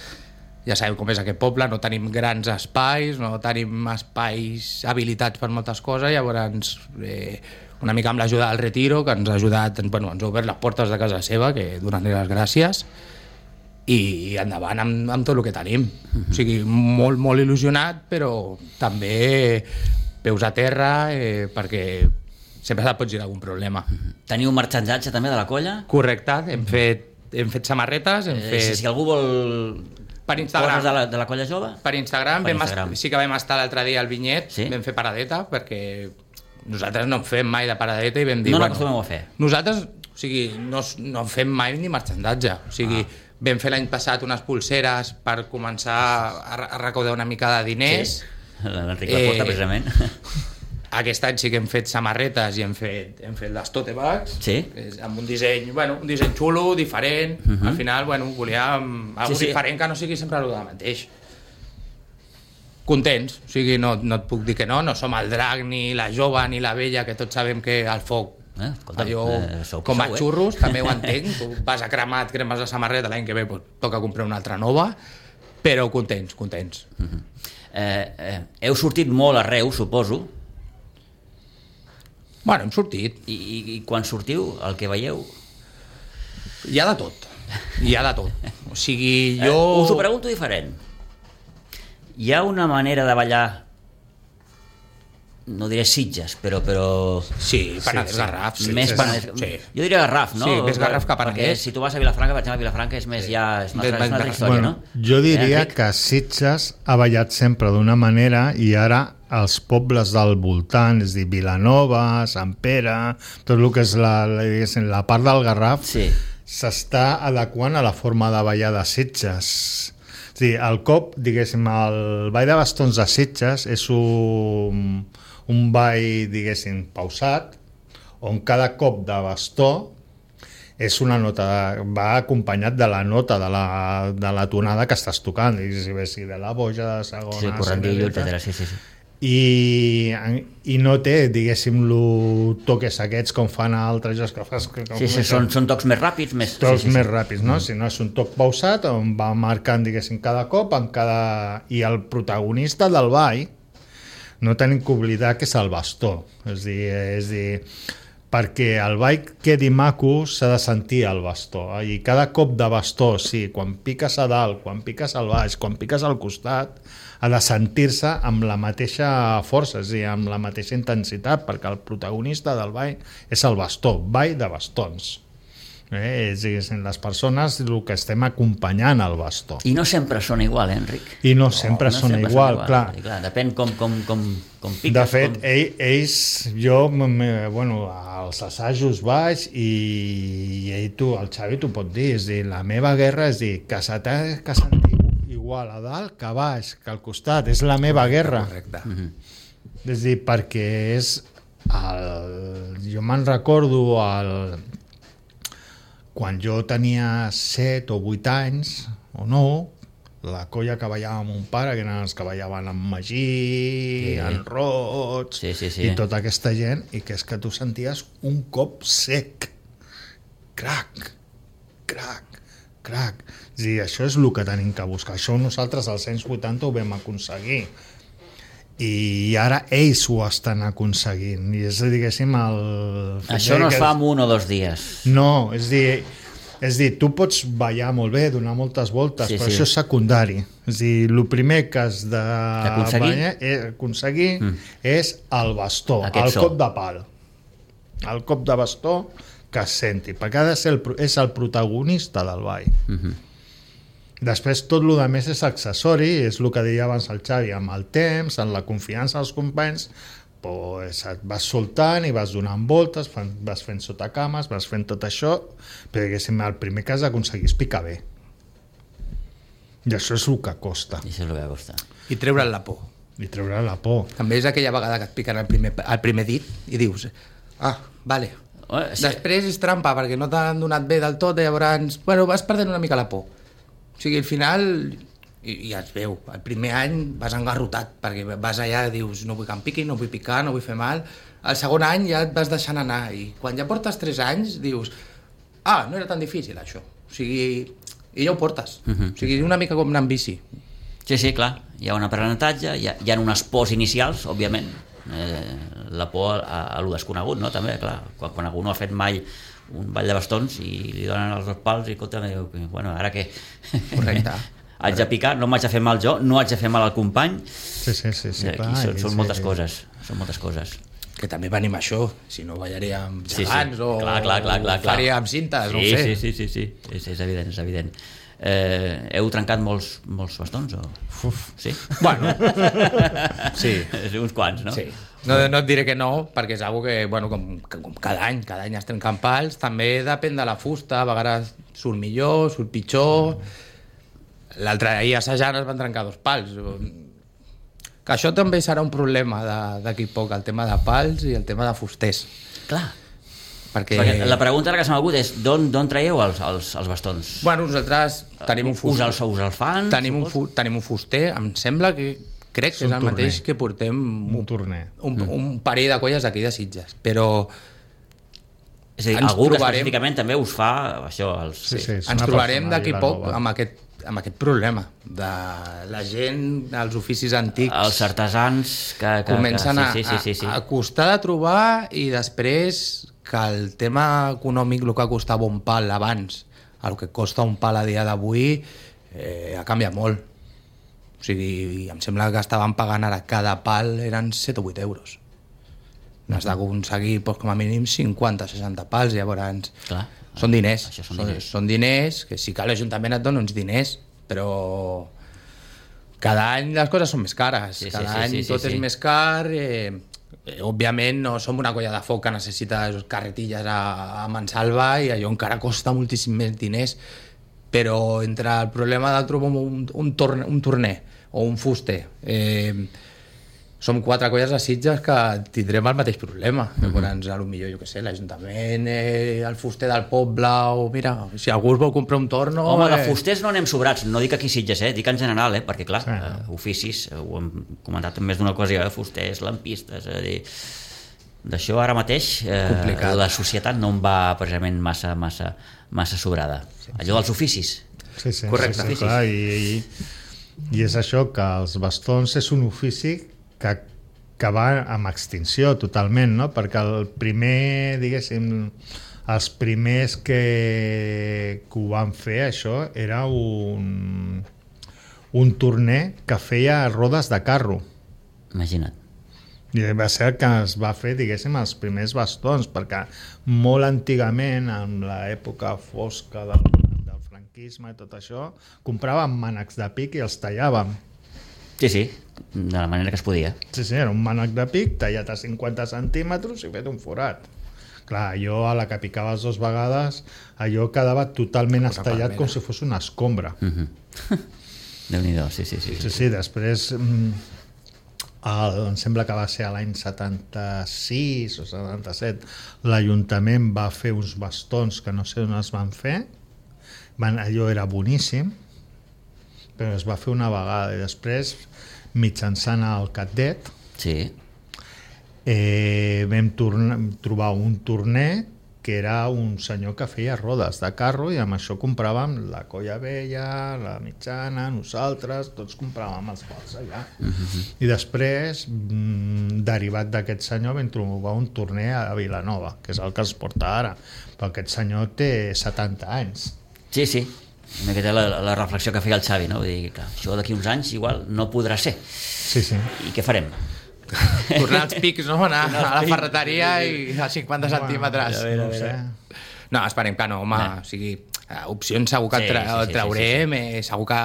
[SPEAKER 3] Ja sabeu com és aquest poble, no tenim grans espais, no tenim espais habilitats per moltes coses, llavors eh, una mica amb l'ajuda del Retiro, que ens ha ajudat, bueno, ens ha obert les portes de casa seva, que donar-li les gràcies, i endavant amb, amb tot el que tenim. O sigui, molt, molt il·lusionat, però també peus a terra, eh, perquè sempre et pot girar algun problema.
[SPEAKER 2] Teniu marxandatge també de la colla?
[SPEAKER 3] Correcte, hem fet, hem fet samarretes, hem
[SPEAKER 2] eh,
[SPEAKER 3] fet...
[SPEAKER 2] Si, si algú vol...
[SPEAKER 3] Per Instagram.
[SPEAKER 2] De la, de la colla jove?
[SPEAKER 3] Per Instagram,
[SPEAKER 2] per
[SPEAKER 3] vam
[SPEAKER 2] Instagram.
[SPEAKER 3] Est- sí que vam estar l'altre dia al Vinyet,
[SPEAKER 2] sí?
[SPEAKER 3] Vam fer paradeta, perquè nosaltres no en fem mai de paradeta i vam dir...
[SPEAKER 2] No
[SPEAKER 3] bueno,
[SPEAKER 2] n'acostumem a fer.
[SPEAKER 3] Nosaltres, o sigui, no, no fem mai ni marxandatge, o sigui, ah. Vam fer l'any passat unes pulseres per començar a, a recaudar una mica de diners.
[SPEAKER 2] Sí, l'Enric la porta, eh, precisament.
[SPEAKER 3] Aquest any sí que hem fet samarretes i hem fet, hem fet les tote bags,
[SPEAKER 2] sí?
[SPEAKER 3] Amb un disseny, bueno, un disseny xulo, diferent. Uh -huh. Al final, bueno, volíem algo sí, sí. diferent que no sigui sempre el mateix. Contents, o sigui, no, no et puc dir que no, no som el drac, ni la jove, ni la vella, que tots sabem que el foc, eh, escolta, allò, eh, sou com a xurros, eh? També ho entenc, tu vas a cremat, cremes la samarreta, l'any que ve pues, toca comprar una altra nova, però contents, contents.
[SPEAKER 2] Uh -huh. eh, eh, heu sortit molt arreu, suposo.
[SPEAKER 3] Bueno, hem sortit.
[SPEAKER 2] I, i, I quan sortiu, el que veieu?
[SPEAKER 3] Hi ha de tot. Hi ha de tot. O sigui, jo...
[SPEAKER 2] Eh, us ho pregunto diferent. Hi ha una manera de ballar, no diré Sitges, però... però...
[SPEAKER 3] Sí, Penedès, sí, Garraf.
[SPEAKER 2] Sí, més
[SPEAKER 3] sí,
[SPEAKER 2] Penedès.
[SPEAKER 3] Sí.
[SPEAKER 2] Jo diria Garraf, no?
[SPEAKER 3] Sí, més Garraf que Penedès.
[SPEAKER 2] Perquè si tu vas a Vilafranca, per exemple, Vilafranca és més sí. ja... És una, altra, és una altra història,
[SPEAKER 4] bueno,
[SPEAKER 2] no?
[SPEAKER 4] Jo diria
[SPEAKER 2] eh,
[SPEAKER 4] que Sitges ha ballat sempre d'una manera i ara els pobles del voltant, és a dir, Vilanova, Sant Pere, tot el que és la, la, la part del Garraf,
[SPEAKER 2] sí.
[SPEAKER 4] s'està adequant a la forma de ballar de Sitges. És a dir, el cop, diguéssim, el ball de bastons de Sitges és un, un ball, diguéssim, pausat, on cada cop de bastó és una nota, va acompanyat de la nota de la, de la tonada que estàs tocant, i si ves si de la boja, de segona,
[SPEAKER 2] Sí, correndillo, etcètera, sí, sí, sí.
[SPEAKER 4] I, i no té, diguéssim, lo toques aquests com fan altres jocs que fas... Que,
[SPEAKER 2] Sí, sí, són, són tocs més ràpids, més...
[SPEAKER 4] tocs
[SPEAKER 2] sí, sí,
[SPEAKER 4] més
[SPEAKER 2] sí.
[SPEAKER 4] ràpids, no? Si no és un toc pausat on va marcant, diguéssim, cada cop en cada... i el protagonista del ball no tenim que oblidar que és el bastó, és dir, és dir perquè el ball quedi maco s'ha de sentir el bastó, i cada cop de bastó, sí, quan piques a dalt, quan piques al baix, quan piques al costat, ha de sentir-se amb la mateixa força, és a dir, amb la mateixa intensitat, perquè el protagonista del ball és el bastó, ball de bastons. Eh? És, és les persones el que estem acompanyant al bastó.
[SPEAKER 2] I no sempre sona igual, eh, Enric?
[SPEAKER 4] I no sempre
[SPEAKER 2] no
[SPEAKER 4] sona
[SPEAKER 2] sempre
[SPEAKER 4] igual,
[SPEAKER 2] sona
[SPEAKER 4] clar.
[SPEAKER 2] I clar. Depèn com, com, com, com piques.
[SPEAKER 4] De fet,
[SPEAKER 2] com...
[SPEAKER 4] ell, ells, jo, me, bueno, als assajos vaig i, i ell, tu, el Xavi t'ho pot dir, és dir, la meva guerra és dir, que se t'ha que sentir igual a dalt que a baix, que al costat, és la meva guerra.
[SPEAKER 3] Correcte.
[SPEAKER 2] Mm-hmm.
[SPEAKER 4] És dir, perquè és el... jo me'n recordo el... quan jo tenia set o vuit anys, o no, la colla que ballava amb un pare, que eren els que ballaven amb Magí,
[SPEAKER 2] Sí.
[SPEAKER 4] en Roig,
[SPEAKER 2] Sí, sí, sí.
[SPEAKER 4] i tota aquesta gent, i que és que tu senties un cop sec. Crac, crac, crac. És dir, això és el que tenim que buscar. Això nosaltres als anys vuitanta ho vam aconseguir. I ara ells ho estan aconseguint. I és, diguéssim, el...
[SPEAKER 2] Això no es fa en un o dos dies.
[SPEAKER 4] No, és dir, és dir, tu pots ballar molt bé, donar moltes voltes,
[SPEAKER 2] Sí,
[SPEAKER 4] però
[SPEAKER 2] sí.
[SPEAKER 4] això és secundari. És dir, el primer que has de
[SPEAKER 2] D'aconseguir?
[SPEAKER 4] ballar, eh, aconseguir
[SPEAKER 2] Mm.
[SPEAKER 4] és el bastó,
[SPEAKER 2] Aquest
[SPEAKER 4] el
[SPEAKER 2] so.
[SPEAKER 4] cop de pal. El cop de bastó que es senti, perquè ha de ser el, pro- és el protagonista del ball.
[SPEAKER 2] Mm-hmm.
[SPEAKER 4] Després tot el que més és accessori, és el que deia abans el Xavi, amb el temps, amb la confiança dels companys, pues et vas soltant i vas donant voltes, fan, vas fent sotacames, vas fent tot això, però diguéssim, el primer que has d'aconseguir és picar bé. I això és el que costa,
[SPEAKER 2] I això és el que costa.
[SPEAKER 3] I treure'n la por.
[SPEAKER 4] i treure la por.
[SPEAKER 3] També és aquella vegada que et piquen el primer, el primer dit i dius, ah, vale.
[SPEAKER 2] Oh, sí.
[SPEAKER 3] Després és trampa perquè no t'han donat bé del tot i llavors, bueno, vas perdent una mica la por. O sigui, al final, i, i ja es veu, el primer any vas engarrotat, perquè vas allà i dius, no vull que em piqui, no vull picar, no vull fer mal. El segon any ja et vas deixant anar, i quan ja portes tres anys dius, ah, no era tan difícil això. O sigui, i ja ho portes.
[SPEAKER 2] Mhm.
[SPEAKER 3] O sigui, una mica com anar amb bici.
[SPEAKER 2] Sí, sí, clar, hi ha un aprenentatge, hi ha, hi ha unes pors inicials, òbviament, eh, la por a, a lo desconegut, no? També, clar, quan, quan algú no ha fet mai un ball de bastons i li donen els dos pals i escolta, diu, bueno, ara què?
[SPEAKER 3] Correcte.
[SPEAKER 2] Haig de picar, no m'haig de fer mal jo, no haig de fer mal al company.
[SPEAKER 4] Sí, sí, sí, sí,
[SPEAKER 2] I
[SPEAKER 4] clar,
[SPEAKER 2] són,
[SPEAKER 4] i
[SPEAKER 2] són
[SPEAKER 4] sí.
[SPEAKER 2] moltes coses, són moltes coses.
[SPEAKER 3] Que també venim a això, si no ballaríem
[SPEAKER 2] Sí, sí.
[SPEAKER 3] gegants o
[SPEAKER 2] Clar, clar, clar, clar, clar.
[SPEAKER 3] faríem cintes,
[SPEAKER 2] Sí,
[SPEAKER 3] no ho sé.
[SPEAKER 2] sí, sí, sí, sí. És, és evident, és evident. Eh, heu trencat molts, molts bastons? O...
[SPEAKER 4] Uf.
[SPEAKER 2] Sí?
[SPEAKER 3] Bueno, sí.
[SPEAKER 2] Sí, uns quants, no?
[SPEAKER 3] Sí. No, no et diré que no, perquè és algo que, bueno, com, com cada any, cada any es trenquen pals, també depèn de la fusta, a vegades surt millor, surt pitjor... L'altre ahir assajant es van trencar dos pals. Que això també serà un problema de- d'aquí a poc, el tema de pals i el tema de fusters.
[SPEAKER 2] Clar.
[SPEAKER 3] Perquè,
[SPEAKER 2] Perquè la pregunta ara que se m'ha agut és d'on d'on traieu els, els, els bastons?
[SPEAKER 3] bueno, nosaltres tenim un
[SPEAKER 2] Us
[SPEAKER 3] fuster.
[SPEAKER 2] els, us els fan?
[SPEAKER 3] Tenim un,
[SPEAKER 2] supos?
[SPEAKER 3] fu tenim un fuster, em sembla que crec
[SPEAKER 4] És
[SPEAKER 3] que és
[SPEAKER 4] un
[SPEAKER 3] el mateix
[SPEAKER 4] torner.
[SPEAKER 3] que portem
[SPEAKER 4] Un torner.
[SPEAKER 3] un, un parell de colles d'aquí de Sitges, però
[SPEAKER 2] És a dir,
[SPEAKER 3] ens
[SPEAKER 2] algú que
[SPEAKER 3] trobarem-
[SPEAKER 2] específicament també us fa això, els...
[SPEAKER 4] Sí, sí, és
[SPEAKER 3] ens
[SPEAKER 4] una
[SPEAKER 3] trobarem
[SPEAKER 4] persona
[SPEAKER 3] d'aquí
[SPEAKER 4] i
[SPEAKER 3] a
[SPEAKER 4] la
[SPEAKER 3] poc
[SPEAKER 4] nova.
[SPEAKER 3] amb aquest, amb aquest problema de la gent, els oficis antics
[SPEAKER 2] els artesans que, que,
[SPEAKER 3] comencen
[SPEAKER 2] que, sí, sí, sí, sí, sí.
[SPEAKER 3] A, a costar de trobar i després que el tema econòmic, el que costava un pal abans, el que costa un pal a dia d'avui, eh, ha canviat molt. O sigui, em sembla que estaven pagant ara cada pal eren set o vuit euros. N'has d'aconseguir doncs, com a mínim cinquanta seixanta pals, llavors
[SPEAKER 2] Clar.
[SPEAKER 3] són diners,
[SPEAKER 2] Això són
[SPEAKER 3] són,
[SPEAKER 2] diners.
[SPEAKER 3] són diners, que sí que l'Ajuntament et dona uns diners, però cada any les coses són més cares,
[SPEAKER 2] Sí, sí,
[SPEAKER 3] cada
[SPEAKER 2] sí,
[SPEAKER 3] any
[SPEAKER 2] sí, sí,
[SPEAKER 3] tot
[SPEAKER 2] sí.
[SPEAKER 3] és més car, eh, eh, òbviament no som una colla de foc que necessita carretilles a, a mansalva i allò encara costa moltíssim més diners, però entre el problema de trobar un, un, torne, un torner o un fuster, eh, som quatre colles de Sitges que tindrem el mateix problema. Mm-hmm. Llavors, a lo millor, jo què sé, l'Ajuntament, eh, el fuster del poble, o mira, si algú es vol comprar un torno...
[SPEAKER 2] Home,
[SPEAKER 3] eh...
[SPEAKER 2] de fusters no anem sobrats, no dic aquí Sitges, eh? Dic en general, eh? Perquè clar, sí. eh, oficis, eh, ho hem comentat en més d'una ocasió, eh? Fusters, lampistes, és a dir... D'això ara mateix eh, la societat no em va precisament massa, massa, massa sobrada. Sí, allò dels oficis.
[SPEAKER 4] Sí, sí,
[SPEAKER 3] correcte.
[SPEAKER 4] Sí, sí, clar, i, i, i és això, que els bastons és un ofici que, que va amb extinció totalment, no? Perquè el primer, diguéssim, els primers que, que ho van fer, això, era un, un torner que feia rodes de carro.
[SPEAKER 2] Imagina't.
[SPEAKER 4] I va ser que es va fer, diguéssim, els primers bastons, perquè molt antigament, en l'època fosca del, del franquisme i tot això, compràvem mànecs de pic i els tallàvem.
[SPEAKER 2] Sí, sí, de la manera que es podia.
[SPEAKER 4] Sí, sí, era un mànec de pic tallat a cinquanta centímetres i fet un forat. Clar, allò a la que picaves dues vegades, allò quedava totalment estallat com si fos una escombra.
[SPEAKER 2] Mm-hmm. Déu-n'hi-do, sí, sí, sí.
[SPEAKER 4] Sí, sí, després... El, em sembla que va ser a l'any setanta-sis o setanta-set, l'Ajuntament va fer uns bastons que no sé on es van fer, van, allò era boníssim, però es va fer una vegada i després, mitjançant el cadet,
[SPEAKER 2] sí.
[SPEAKER 4] eh, vam tornar, trobar un torner que era un senyor que feia rodes de carro i amb això compràvem la colla vella, la mitjana, nosaltres, tots compràvem els pals allà. Uh-huh. I després, mm, derivat d'aquest senyor, vam trobar un torner a Vilanova, que és el que es porta ara, però aquest senyor té setanta anys.
[SPEAKER 2] Sí, sí, aquesta és la, la reflexió que feia el Xavi, no? Vull dir, clar, això d'aquí uns anys igual no podrà ser.
[SPEAKER 4] Sí, sí.
[SPEAKER 2] I què farem?
[SPEAKER 3] Tornar als pics, no? Anar a la ferreteria i a cinquanta centímetres.
[SPEAKER 4] No ho sé.
[SPEAKER 3] No, esperem que no, home. O sigui, opcions segur que sí, tra sí, sí, traurem, sí, sí, sí. Eh, segur que...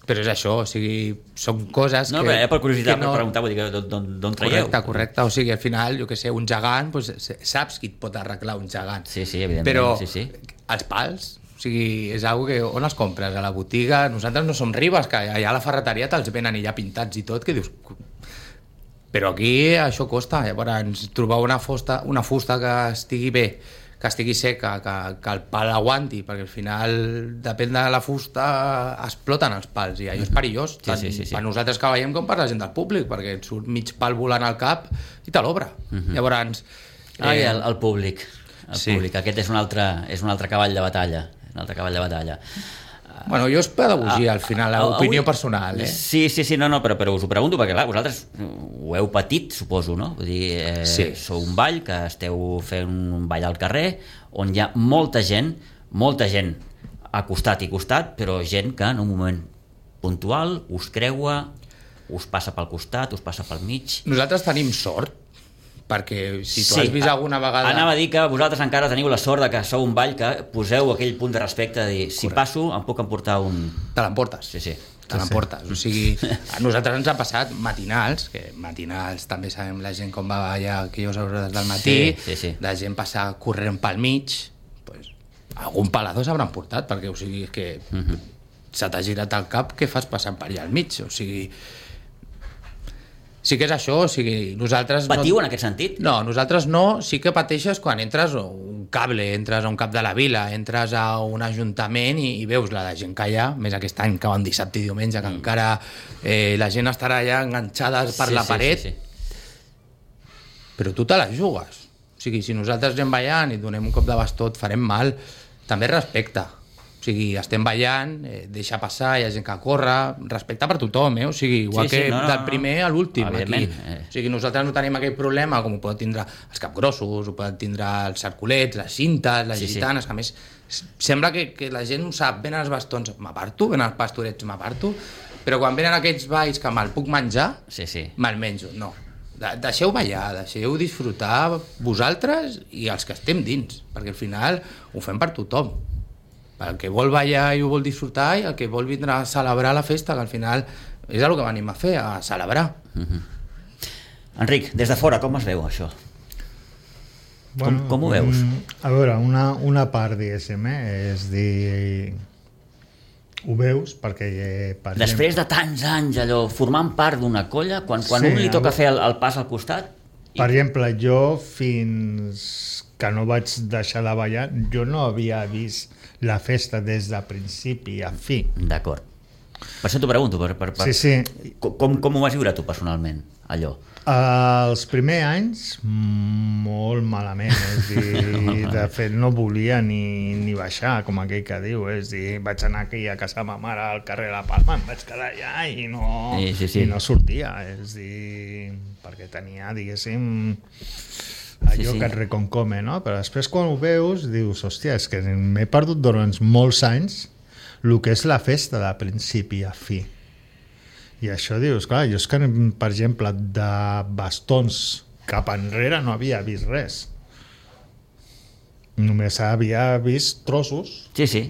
[SPEAKER 3] Però és això, o sigui, són coses
[SPEAKER 2] no,
[SPEAKER 3] que...
[SPEAKER 2] No, per curiositat,
[SPEAKER 3] no...
[SPEAKER 2] per preguntar, vull dir, d'on traieu?
[SPEAKER 3] Correcte, correcte. O sigui, al final, jo què sé, un gegant, doncs, saps qui et pot arreglar un gegant.
[SPEAKER 2] Sí, sí, evidentment.
[SPEAKER 3] Però
[SPEAKER 2] sí, sí.
[SPEAKER 3] els pals... O sigui, és una que on els compres? A la botiga? Nosaltres no som ribes, que allà a la ferreteria te'ls venen ja pintats i tot, que dius... Però aquí això costa, llavors trobar una fusta, una fusta que estigui bé, que estigui seca, que, que el pal aguanti, perquè al final, depèn de la fusta, exploten els pals, i allò és perillós, tant sí, sí, sí, sí. per nosaltres que veiem com per la gent del públic, perquè et surt mig pal volant al cap i te l'obra. Uh-huh. Llavors...
[SPEAKER 2] Eh... Ai, el, el públic, el sí. públic, aquest és un, altre, és un altre cavall de batalla, un altre cavall de batalla.
[SPEAKER 3] Bueno, jo és pedagogia, al final, l'opinió personal. Eh?
[SPEAKER 2] Sí, sí, sí, no, no, però, però us ho pregunto perquè, clar, vosaltres ho heu patit, suposo, no? Vull dir, eh, sí. Sou un ball, que esteu fent un ball al carrer, on hi ha molta gent, molta gent a costat i costat, però gent que en un moment puntual us creua, us passa pel costat, us passa pel mig...
[SPEAKER 3] Nosaltres tenim sort, perquè si tu
[SPEAKER 2] sí,
[SPEAKER 3] has vist alguna vegada...
[SPEAKER 2] Anava a dir que vosaltres encara teniu la sort de que sou un ball que poseu aquell punt de respecte de dir, si correcte. Passo em puc emportar un...
[SPEAKER 3] Te l'emportes.
[SPEAKER 2] Sí, sí.
[SPEAKER 3] Te l'emportes. Sí. O sigui, a nosaltres ens ha passat matinals, que matinals també sabem la gent com va allà aquelles hores del matí,
[SPEAKER 2] sí, sí, sí.
[SPEAKER 3] la gent passa corrent pel mig, pues, algun palador s'hauran portat, perquè o sigui, és que uh-huh. se t'ha girat el cap, què fas passant per allà al mig? O sigui... Sí que és això, o sigui, nosaltres...
[SPEAKER 2] Patiu
[SPEAKER 3] no...
[SPEAKER 2] en aquest sentit?
[SPEAKER 3] No, nosaltres no, sí que pateixes quan entres a un cable, entres a un cap de la vila, entres a un ajuntament i, i veus la de gent que hi ha, més aquest any que van dissabte i diumenge, que mm. encara eh, la gent estarà allà enganxada per sí, la
[SPEAKER 2] sí,
[SPEAKER 3] paret,
[SPEAKER 2] sí, sí.
[SPEAKER 3] Però tu te la jugues. O sigui, si nosaltres anem ballant i donem un cop de bastó, et farem mal, també respecte. O sigui, estem ballant, eh, deixa passar, hi ha gent que corre, respecte per tothom, eh? O sigui, igual sí, sí, que no, no, del primer a l'últim aquí. Eh. O sigui, nosaltres no tenim aquell problema com ho poden tindre els capgrossos, ho poden tindre els cerculets, les cintes, les sí, gitanes, sí. que a més sembla que, que la gent ho sap, venen els bastons, m'aparto, venen els pastorets, m'aparto, però quan venen aquests balls que me'l puc menjar,
[SPEAKER 2] sí, sí.
[SPEAKER 3] me'l menjo, no. De deixeu ballar, deixeu disfrutar vosaltres i els que estem dins, perquè al final ho fem per tothom. El que vol ballar i ho vol disfrutar i el que vol vindre a celebrar la festa, que al final és el que venim a fer, a celebrar.
[SPEAKER 2] Uh-huh. Enric, des de fora, com es veu això?
[SPEAKER 4] Bueno,
[SPEAKER 2] com, com ho veus?
[SPEAKER 4] A veure, una, una part, diguéssim, eh, és dir... ho veus perquè... Eh, per
[SPEAKER 2] Després
[SPEAKER 4] exemple,
[SPEAKER 2] de tants anys, allò, formant part d'una colla, quan, quan
[SPEAKER 4] Sí,
[SPEAKER 2] un li toca
[SPEAKER 4] el-
[SPEAKER 2] fer el, el pas al costat...
[SPEAKER 4] per exemple, jo fins que no vaig deixar de ballar, jo no havia vist la festa des de principi a fi.
[SPEAKER 2] D'acord. Per això t'ho pregunto. Per, per, per...
[SPEAKER 4] Sí, sí.
[SPEAKER 2] Com, com ho vas viure tu personalment, allò?
[SPEAKER 4] Els primers anys, molt malament, és dir, de fet no volia ni, ni baixar, com aquell que diu, és dir, vaig anar aquí a casa de ma mare al carrer de la Palma, em vaig quedar allà i no,
[SPEAKER 2] Sí, sí, sí.
[SPEAKER 4] i no sortia, és dir, perquè tenia, diguéssim, allò
[SPEAKER 2] Sí, sí.
[SPEAKER 4] que et reconcome, no? Però després quan ho veus dius, hòstia, és que m'he perdut durant molts anys el que és la festa de principi a fi. I això dius, clar, jo és que, per exemple, de bastons cap enrere no havia vist res. Només havia vist trossos
[SPEAKER 2] Sí, sí.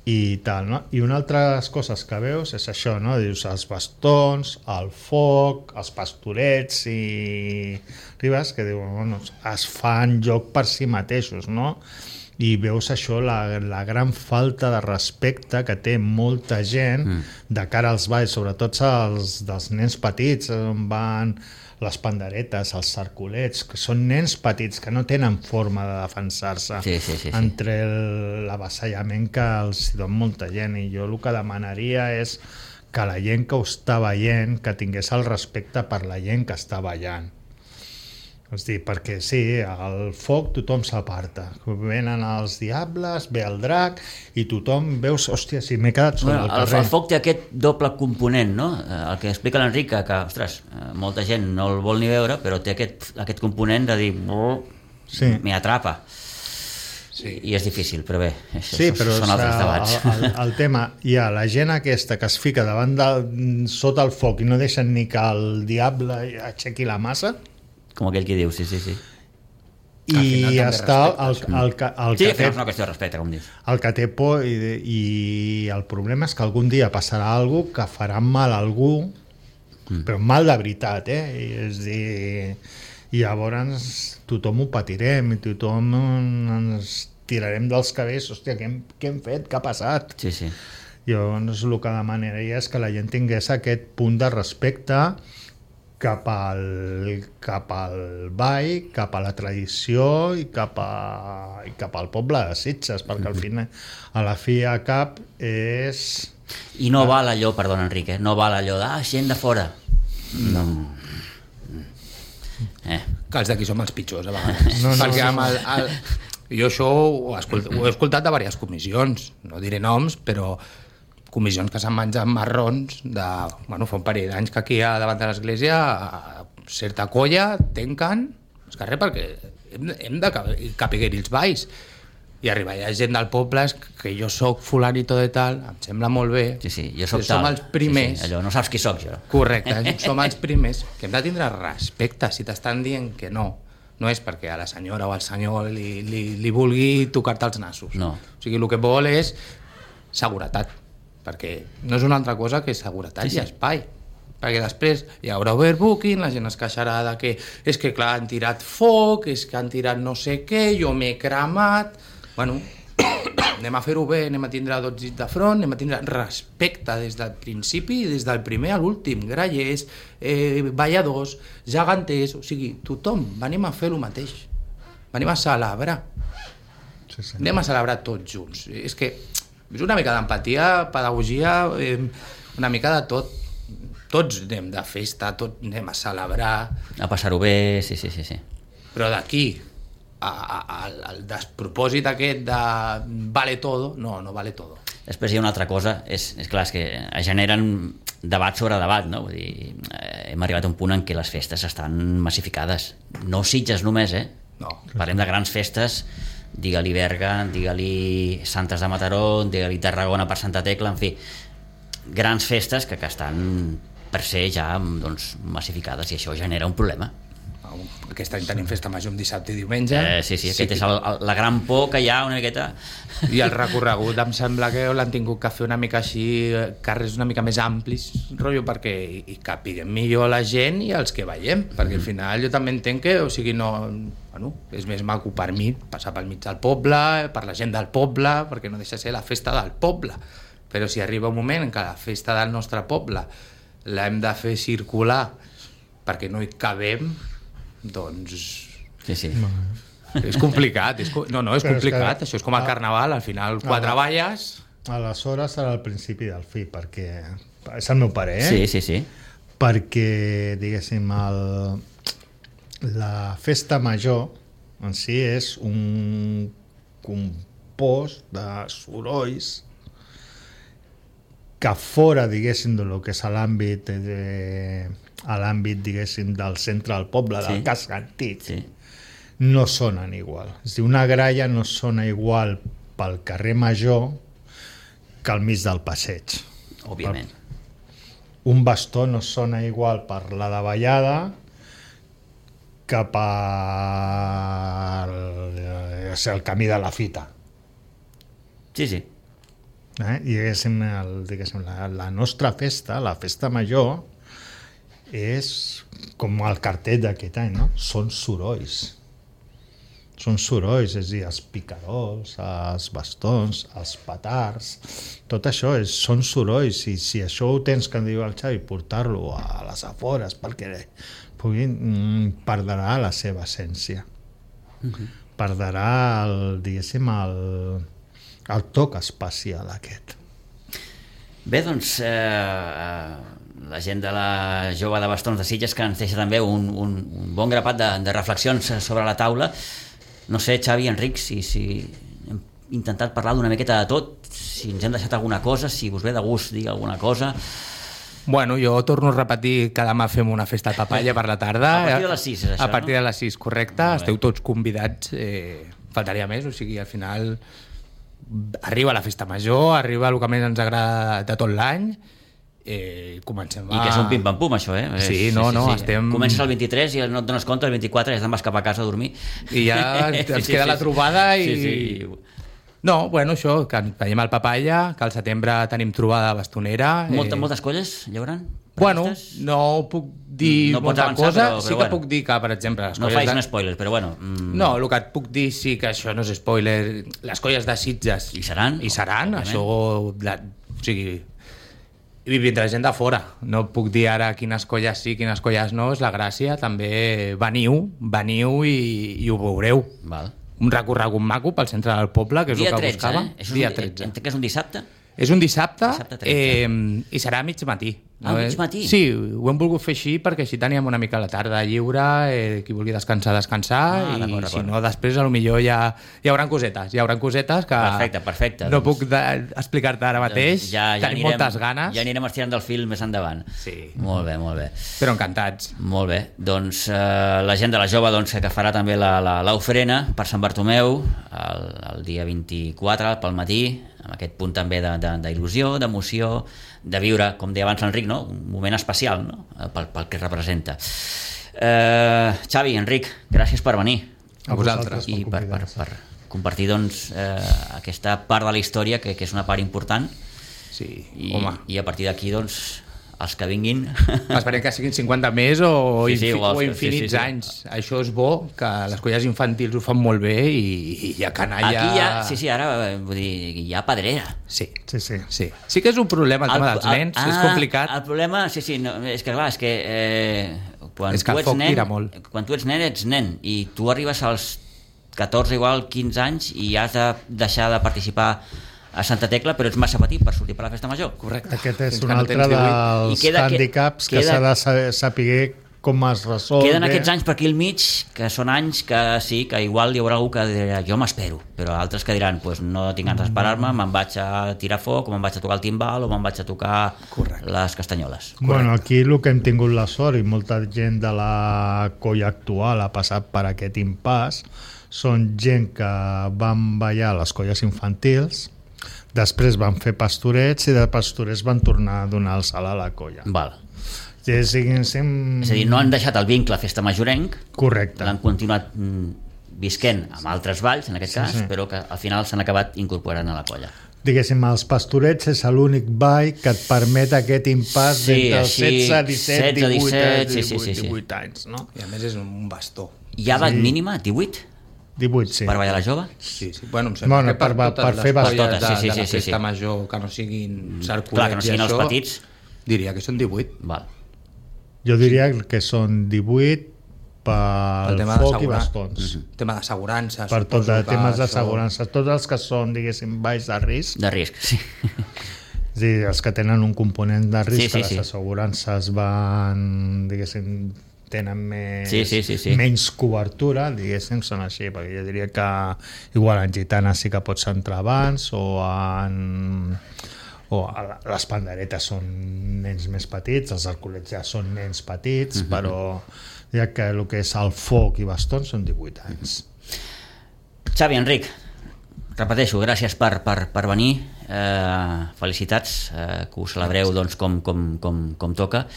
[SPEAKER 4] i tal, no? I una altra de les coses que veus és això, no? Dius, els bastons, el foc, els pastorets i ribes que diuen, bueno, es fan joc per si mateixos, no? I veus això, la, la gran falta de respecte que té molta gent mm. de cara als balls, sobretot els dels nens petits, on van les panderetes, els cercolets, que són nens petits que no tenen forma de defensar-se
[SPEAKER 2] Sí, sí, sí, sí.
[SPEAKER 4] entre el- l'avasallament que els don molta gent, i jo el que demanaria és que la gent que ho està veient que tingués el respecte per la gent que està ballant. És dir, perquè sí, al foc tothom s'aparta. Venen els diables, ve el drac, i tothom veus, hòstia, si m'he quedat sobre
[SPEAKER 2] Bueno,
[SPEAKER 4] el
[SPEAKER 2] el,
[SPEAKER 4] carrer.
[SPEAKER 2] el foc té aquest doble component, no? Eh, El que explica l'Enric, que, que, ostres, eh, molta gent no el vol ni veure, però té aquest, aquest component de dir...
[SPEAKER 4] Sí.
[SPEAKER 2] Me atrapa.
[SPEAKER 3] Sí.
[SPEAKER 2] I és difícil, però bé, és,
[SPEAKER 4] Sí, però
[SPEAKER 2] són altres debats.
[SPEAKER 4] el, el, el tema, hi ha la gent aquesta que es fica davant de, sota el foc i no deixen ni que el diable aixequi la massa,
[SPEAKER 2] Com aquell que diu, sí, sí, sí.
[SPEAKER 3] Al final
[SPEAKER 4] i
[SPEAKER 3] també
[SPEAKER 4] està el,
[SPEAKER 3] respectes.
[SPEAKER 4] el, el, que- el,
[SPEAKER 2] Sí,
[SPEAKER 4] que
[SPEAKER 2] que
[SPEAKER 4] té,
[SPEAKER 2] no és una qüestió de respecte, com dius.
[SPEAKER 4] el que té por, i, i el problema és que algun dia passarà alguna que farà mal a algú, mm. però mal de veritat, eh? I és dir, i llavors tothom ho patirem i tothom ens tirarem dels cabells, hòstia, què hem, què hem fet, què ha passat?
[SPEAKER 2] Sí, sí.
[SPEAKER 4] Llavors el que demanaria és que la gent tingués aquest punt de respecte cap al, cap al ball, cap a la tradició i cap, a, i cap al poble de Sitges, perquè al final, a la fi a cap és...
[SPEAKER 2] I no val allò, perdona Enric, eh? no val allò de ah, gent de fora. No. Eh.
[SPEAKER 3] Que els d'aquí som els pitjors, a vegades.
[SPEAKER 4] No, no,
[SPEAKER 3] Perquè
[SPEAKER 4] no,
[SPEAKER 3] amb el, el, jo això ho he, escolt, ho he escoltat de diverses comissions, no diré noms, però comissions que s'han menjat marrons de... Bueno, fa un parell d'anys que aquí a davant de l'església a certa colla tanquen el carrer perquè hem, hem de capiguer-hi els balls. I arribar hi ha gent del poble que jo soc fulanito de tal, em sembla molt bé.
[SPEAKER 2] Sí, sí, jo soc
[SPEAKER 3] que
[SPEAKER 2] tal.
[SPEAKER 3] som els primers.
[SPEAKER 2] Sí, sí, allò, no saps qui sóc jo.
[SPEAKER 3] Correcte, som els primers que hem de tindre respecte si t'estan dient que no. No és perquè a la senyora o al senyor li, li, li vulgui tocar-te els nassos.
[SPEAKER 2] No.
[SPEAKER 3] O sigui, el que vol és seguretat, perquè no és una altra cosa que seguretat
[SPEAKER 2] Sí, sí.
[SPEAKER 3] i espai. Perquè després hi haurà overbooking, la gent es queixarà de que és que clar, han tirat foc, és que han tirat no sé què, jo m'he cremat... Bueno, anem a fer-ho bé, anem a tindre dos dits de front, anem a tindre respecte des del principi i des del primer a l'últim, grallers, eh, balladors, geganters, o sigui, tothom, venim a fer el mateix, venim a celebrar,
[SPEAKER 4] Sí, sí.
[SPEAKER 3] anem a celebrar tots junts. És que és una mica d'empatia, pedagogia, eh, una mica de tot, tots anem de festa, tots anem a celebrar,
[SPEAKER 2] A passar-ho bé, sí, sí, sí, sí.
[SPEAKER 3] però d'aquí al, al despropòsit aquest de vale todo, no, no vale todo.
[SPEAKER 2] Després hi ha una altra cosa, és, és clar, és que es generen debat sobre debat, no? Vull dir, eh, hem arribat a un punt en què les festes estan massificades. No Sitges només, eh?
[SPEAKER 3] No.
[SPEAKER 2] Parlem de grans festes, digue-li Berga, digue-li Santes de Mataró, digue-li Tarragona per Santa Tecla, en fi, grans festes que, que estan per ser ja doncs, massificades, i això genera un problema.
[SPEAKER 3] Aquest any tenim festa major amb dissabte i diumenge.
[SPEAKER 2] Eh, sí, sí, aquest sí. És el, el, la gran por que hi ha una miqueta.
[SPEAKER 3] I el recorregut em sembla que l'han tingut que fer una mica així, carrers una mica més amplis, rotllo, perquè hi capiguem millor la gent i els que veiem, perquè al final jo també entenc que, o sigui, no, bueno, és més maco per mi passar pel mig del poble, per la gent del poble, perquè no deixa de ser la festa del poble. però si arriba un moment que la festa del nostre poble l'hem de fer circular perquè no hi cabem, doncs...
[SPEAKER 2] Sí, sí.
[SPEAKER 3] És complicat, és, no, no, és
[SPEAKER 4] Però és
[SPEAKER 3] complicat,
[SPEAKER 4] que-
[SPEAKER 3] això és com el carnaval, al final quatre
[SPEAKER 4] Ah.
[SPEAKER 3] balles...
[SPEAKER 4] Aleshores serà el principi del fi, perquè és el meu parer, eh?
[SPEAKER 2] Sí, sí, sí.
[SPEAKER 4] Perquè, diguéssim, el, la festa major en si és un compost de sorolls que fora, diguéssim, de lo que és l'àmbit de, a l'àmbit, diguéssim, del centre del poble,
[SPEAKER 2] Sí.
[SPEAKER 4] del casc antic,
[SPEAKER 2] Sí.
[SPEAKER 4] no sonen igual. És a dir, una gralla no sona igual pel carrer Major que al mig del passeig.
[SPEAKER 2] Òbviament.
[SPEAKER 4] Un bastó no sona igual per la davallada que per el, el camí de la fita.
[SPEAKER 2] Sí, sí.
[SPEAKER 4] Eh? I diguéssim, el, diguéssim, la, la nostra festa, la festa major, és com el cartell d'aquest any, no? Són sorolls. Són sorolls, és a dir, els picarols, els bastons, els petards, tot això és, són sorolls, i si això ho tens, que em diu el Xavi, portar-lo a les afores perquè puguin, mm, perdrà la seva essència. Uh-huh. Perdrà el, diguéssim, el, el toc espacial aquest.
[SPEAKER 2] Bé, doncs, eh, la gent de la Jove de Bastons de Sitges, que ens deixa també un, un, un bon grapat de, de reflexions sobre la taula. No sé, Xavi, Enric, si, si hem intentat parlar d'una miqueta de tot, si ens hem deixat alguna cosa, si us ve de gust dir alguna cosa.
[SPEAKER 3] Bueno, jo torno a repetir que demà fem una festa de papalla per la tarda.
[SPEAKER 2] A partir de les sis, és això,
[SPEAKER 3] A partir
[SPEAKER 2] no?
[SPEAKER 3] de les sis, correcte. Esteu tots convidats. Eh, faltaria més, o sigui, al final arriba la festa major, arriba el que més ens agrada de tot l'any. Eh, comencem a...
[SPEAKER 2] I que és un pim-pam-pum, això, eh?
[SPEAKER 3] Sí, no, no, estem...
[SPEAKER 2] Comences el vint-i-tres i no et dones compte, el vint-i-quatre ja te'n vas cap a casa a dormir.
[SPEAKER 3] I ja ens queda la trobada i...
[SPEAKER 2] Sí, sí.
[SPEAKER 3] No, bueno, això, que veiem el papalla, que al setembre tenim trobada bastonera...
[SPEAKER 2] Molta,
[SPEAKER 3] eh...
[SPEAKER 2] moltes colles, hi haurà?
[SPEAKER 3] Bueno,
[SPEAKER 2] Previstes?
[SPEAKER 3] no puc dir
[SPEAKER 2] No pots
[SPEAKER 3] molta
[SPEAKER 2] avançar,
[SPEAKER 3] cosa,
[SPEAKER 2] però-
[SPEAKER 3] sí
[SPEAKER 2] però
[SPEAKER 3] que
[SPEAKER 2] bueno.
[SPEAKER 3] puc dir que, per exemple... Les
[SPEAKER 2] No
[SPEAKER 3] colles
[SPEAKER 2] facis
[SPEAKER 3] de...
[SPEAKER 2] un spoiler, però bueno... Mm,
[SPEAKER 3] No, el que et puc dir sí que això no és spoiler. Les colles de Sitges...
[SPEAKER 2] Hi seran,
[SPEAKER 3] Hi seran,
[SPEAKER 2] òbviament.
[SPEAKER 3] això... La, o sigui... I vindrà gent de fora. No puc dir ara quines colles sí, quines colles no, és la gràcia. També veniu, veniu i, i ho veureu.
[SPEAKER 2] Val.
[SPEAKER 3] Un recorregut maco pel centre del poble, que és
[SPEAKER 2] Dia
[SPEAKER 3] el que
[SPEAKER 2] tretze,
[SPEAKER 3] buscàvem.
[SPEAKER 2] eh? És un,
[SPEAKER 3] Dia tretze.
[SPEAKER 2] Entenc que és un dissabte?
[SPEAKER 3] És un dissabte,
[SPEAKER 2] Dissabte tretze.
[SPEAKER 3] eh, i serà a mig matí.
[SPEAKER 2] Ah, a mig matí?
[SPEAKER 3] Sí, ho hem volgut fer així perquè així teníem una mica la tarda lliure, eh, qui vulgui descansar, descansar,
[SPEAKER 2] Ah,
[SPEAKER 3] i
[SPEAKER 2] d'acord,
[SPEAKER 3] si
[SPEAKER 2] d'acord.
[SPEAKER 3] no, després a lo millor ja, hi haurà cosetes, hi haurà cosetes que
[SPEAKER 2] Perfecte, perfecte,
[SPEAKER 3] no
[SPEAKER 2] doncs.
[SPEAKER 3] puc de- explicar-te ara mateix,
[SPEAKER 2] Doncs ja, ja
[SPEAKER 3] tenim
[SPEAKER 2] anirem,
[SPEAKER 3] moltes ganes,
[SPEAKER 2] Ja anirem estirant del fil més endavant.
[SPEAKER 3] Sí.
[SPEAKER 2] Molt bé, molt bé.
[SPEAKER 3] però encantats.
[SPEAKER 2] Molt bé, doncs eh, la gent de la Jove doncs, que farà també la, la, l'ofrena per Sant Bartomeu el, el dia vint-i-quatre pel matí, amb aquest punt també de, de, d'il·lusió, d'emoció, de viure, com deia abans l'Enric, no? Un moment especial, no? pel, pel que representa. Eh, Xavi, Enric, gràcies per venir
[SPEAKER 3] A vosaltres.
[SPEAKER 2] i per, per, per compartir doncs, eh, aquesta part de la història que, que és una part important
[SPEAKER 3] Sí,
[SPEAKER 2] i,
[SPEAKER 3] home.
[SPEAKER 2] i a partir d'aquí doncs els que vinguin
[SPEAKER 3] Esperem que siguin cinquanta més o,
[SPEAKER 2] Sí, sí,
[SPEAKER 3] infi
[SPEAKER 2] o els-
[SPEAKER 3] o infinits
[SPEAKER 2] sí, sí, sí.
[SPEAKER 3] anys. Això és bo, que les colles infantils ho fan molt bé i, i hi ha canalla...
[SPEAKER 2] aquí ja, sí, sí, ara eh, vull dir, hi ha pedrera.
[SPEAKER 3] Sí,
[SPEAKER 4] Sí, sí.
[SPEAKER 3] sí. Sí que és un problema el tema dels nens,
[SPEAKER 2] ah,
[SPEAKER 3] és complicat.
[SPEAKER 2] El problema, sí, sí, no, és que clar, és que eh, quan,
[SPEAKER 3] És que
[SPEAKER 2] tu
[SPEAKER 3] el
[SPEAKER 2] ets
[SPEAKER 3] foc
[SPEAKER 2] nen,
[SPEAKER 3] tira molt.
[SPEAKER 2] quan tu ets nen, ets nen, i tu arribes als catorze, igual quinze anys, i has de deixar de participar a Santa Tecla, però ets massa petit per sortir per la festa major.
[SPEAKER 3] Correcte.
[SPEAKER 4] Aquest és
[SPEAKER 3] Fins
[SPEAKER 4] un
[SPEAKER 3] que no
[SPEAKER 4] altre
[SPEAKER 3] tens divuit.
[SPEAKER 2] I
[SPEAKER 4] dels
[SPEAKER 2] queda-
[SPEAKER 4] hàndicaps que
[SPEAKER 2] queda-
[SPEAKER 4] s'ha de saber, saber com es resol.
[SPEAKER 2] Queden aquests anys per aquí al mig, que són anys que sí, que igual hi haurà algú que dirà jo m'espero, però altres que diran pues, no tinc ganes d'esperar-me, me'n vaig a tirar foc, o me'n vaig a tocar el timbal, o me'n vaig a tocar
[SPEAKER 3] Correcte.
[SPEAKER 2] les castanyoles.
[SPEAKER 4] Bueno, aquí el que hem tingut la sort, i molta gent de la colla actual ha passat per aquest impàs, són gent que van ballar a les colles infantils, després van fer pastorets i de pastorets van tornar a donar el salt a la colla.
[SPEAKER 2] Val.
[SPEAKER 4] Ja siguin sem...
[SPEAKER 2] És a dir, no han deixat el vincle festa majorenc,
[SPEAKER 4] Correcte.
[SPEAKER 2] l'han continuat mm, visquent amb altres balls, en aquest
[SPEAKER 4] Sí,
[SPEAKER 2] cas,
[SPEAKER 4] sí.
[SPEAKER 2] però que al final s'han acabat incorporant a la colla.
[SPEAKER 4] Diguéssim, els pastorets és l'únic ball que et permet aquest impàs
[SPEAKER 2] Sí,
[SPEAKER 4] d'entre els
[SPEAKER 2] així,
[SPEAKER 4] setze, disset,
[SPEAKER 2] setze,
[SPEAKER 4] divuit,
[SPEAKER 2] disset, sí,
[SPEAKER 4] divuit,
[SPEAKER 2] sí, sí, sí.
[SPEAKER 4] divuit anys, no?
[SPEAKER 3] I a més és un bastó.
[SPEAKER 2] Hi ha edat mínima? divuit?
[SPEAKER 4] divuit, sí.
[SPEAKER 2] Per ballar la jove?
[SPEAKER 3] Sí, sí. Bueno, em sembla
[SPEAKER 4] Bueno,
[SPEAKER 3] que per,
[SPEAKER 4] per-
[SPEAKER 3] totes
[SPEAKER 4] per
[SPEAKER 3] les
[SPEAKER 4] fer
[SPEAKER 3] colles
[SPEAKER 2] totes,
[SPEAKER 3] de,
[SPEAKER 2] sí, sí,
[SPEAKER 3] de la
[SPEAKER 2] sí, sí,
[SPEAKER 3] festa
[SPEAKER 2] sí.
[SPEAKER 3] major que no siguin cerculets
[SPEAKER 2] Clar, que no siguin
[SPEAKER 3] i
[SPEAKER 2] els
[SPEAKER 3] això,
[SPEAKER 2] petits.
[SPEAKER 3] diria que són divuit.
[SPEAKER 2] Val.
[SPEAKER 4] Jo diria que són divuit
[SPEAKER 3] El
[SPEAKER 4] pel
[SPEAKER 3] tema
[SPEAKER 4] foc i
[SPEAKER 3] d'assegura-
[SPEAKER 4] bastons.
[SPEAKER 3] El tema d'assegurances.
[SPEAKER 4] Per tot
[SPEAKER 3] suposo
[SPEAKER 4] de
[SPEAKER 3] que
[SPEAKER 4] temes
[SPEAKER 3] això-
[SPEAKER 4] d'assegurances. Tots els que són, diguéssim, baix de risc,
[SPEAKER 2] De risc, sí.
[SPEAKER 4] és a dir, els que tenen un component de risc,
[SPEAKER 2] Sí, sí,
[SPEAKER 4] que les
[SPEAKER 2] sí.
[SPEAKER 4] assegurances van, diguéssim, tenen més,
[SPEAKER 2] Sí, sí, sí, sí.
[SPEAKER 4] menys cobertura, diguéssim, són així, perquè jo diria que igual en gitanes sí que pots entrar abans, o en o a la- les panderetes són nens més petits, els arculets ja són nens petits,
[SPEAKER 2] Mhm.
[SPEAKER 4] però ja que el que és el foc i bastons són divuit anys.
[SPEAKER 2] Xavi, Enric, repeteixo, gràcies per, per, per venir, eh, felicitats, eh, que ho celebreu doncs, com, com, com, com toca,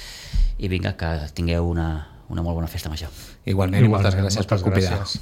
[SPEAKER 2] i vinga, que tingueu una, una molt bona festa major.
[SPEAKER 3] Igualment, moltes
[SPEAKER 4] Igualment,
[SPEAKER 3] gràcies per
[SPEAKER 4] moltes
[SPEAKER 3] convidar.
[SPEAKER 4] gràcies.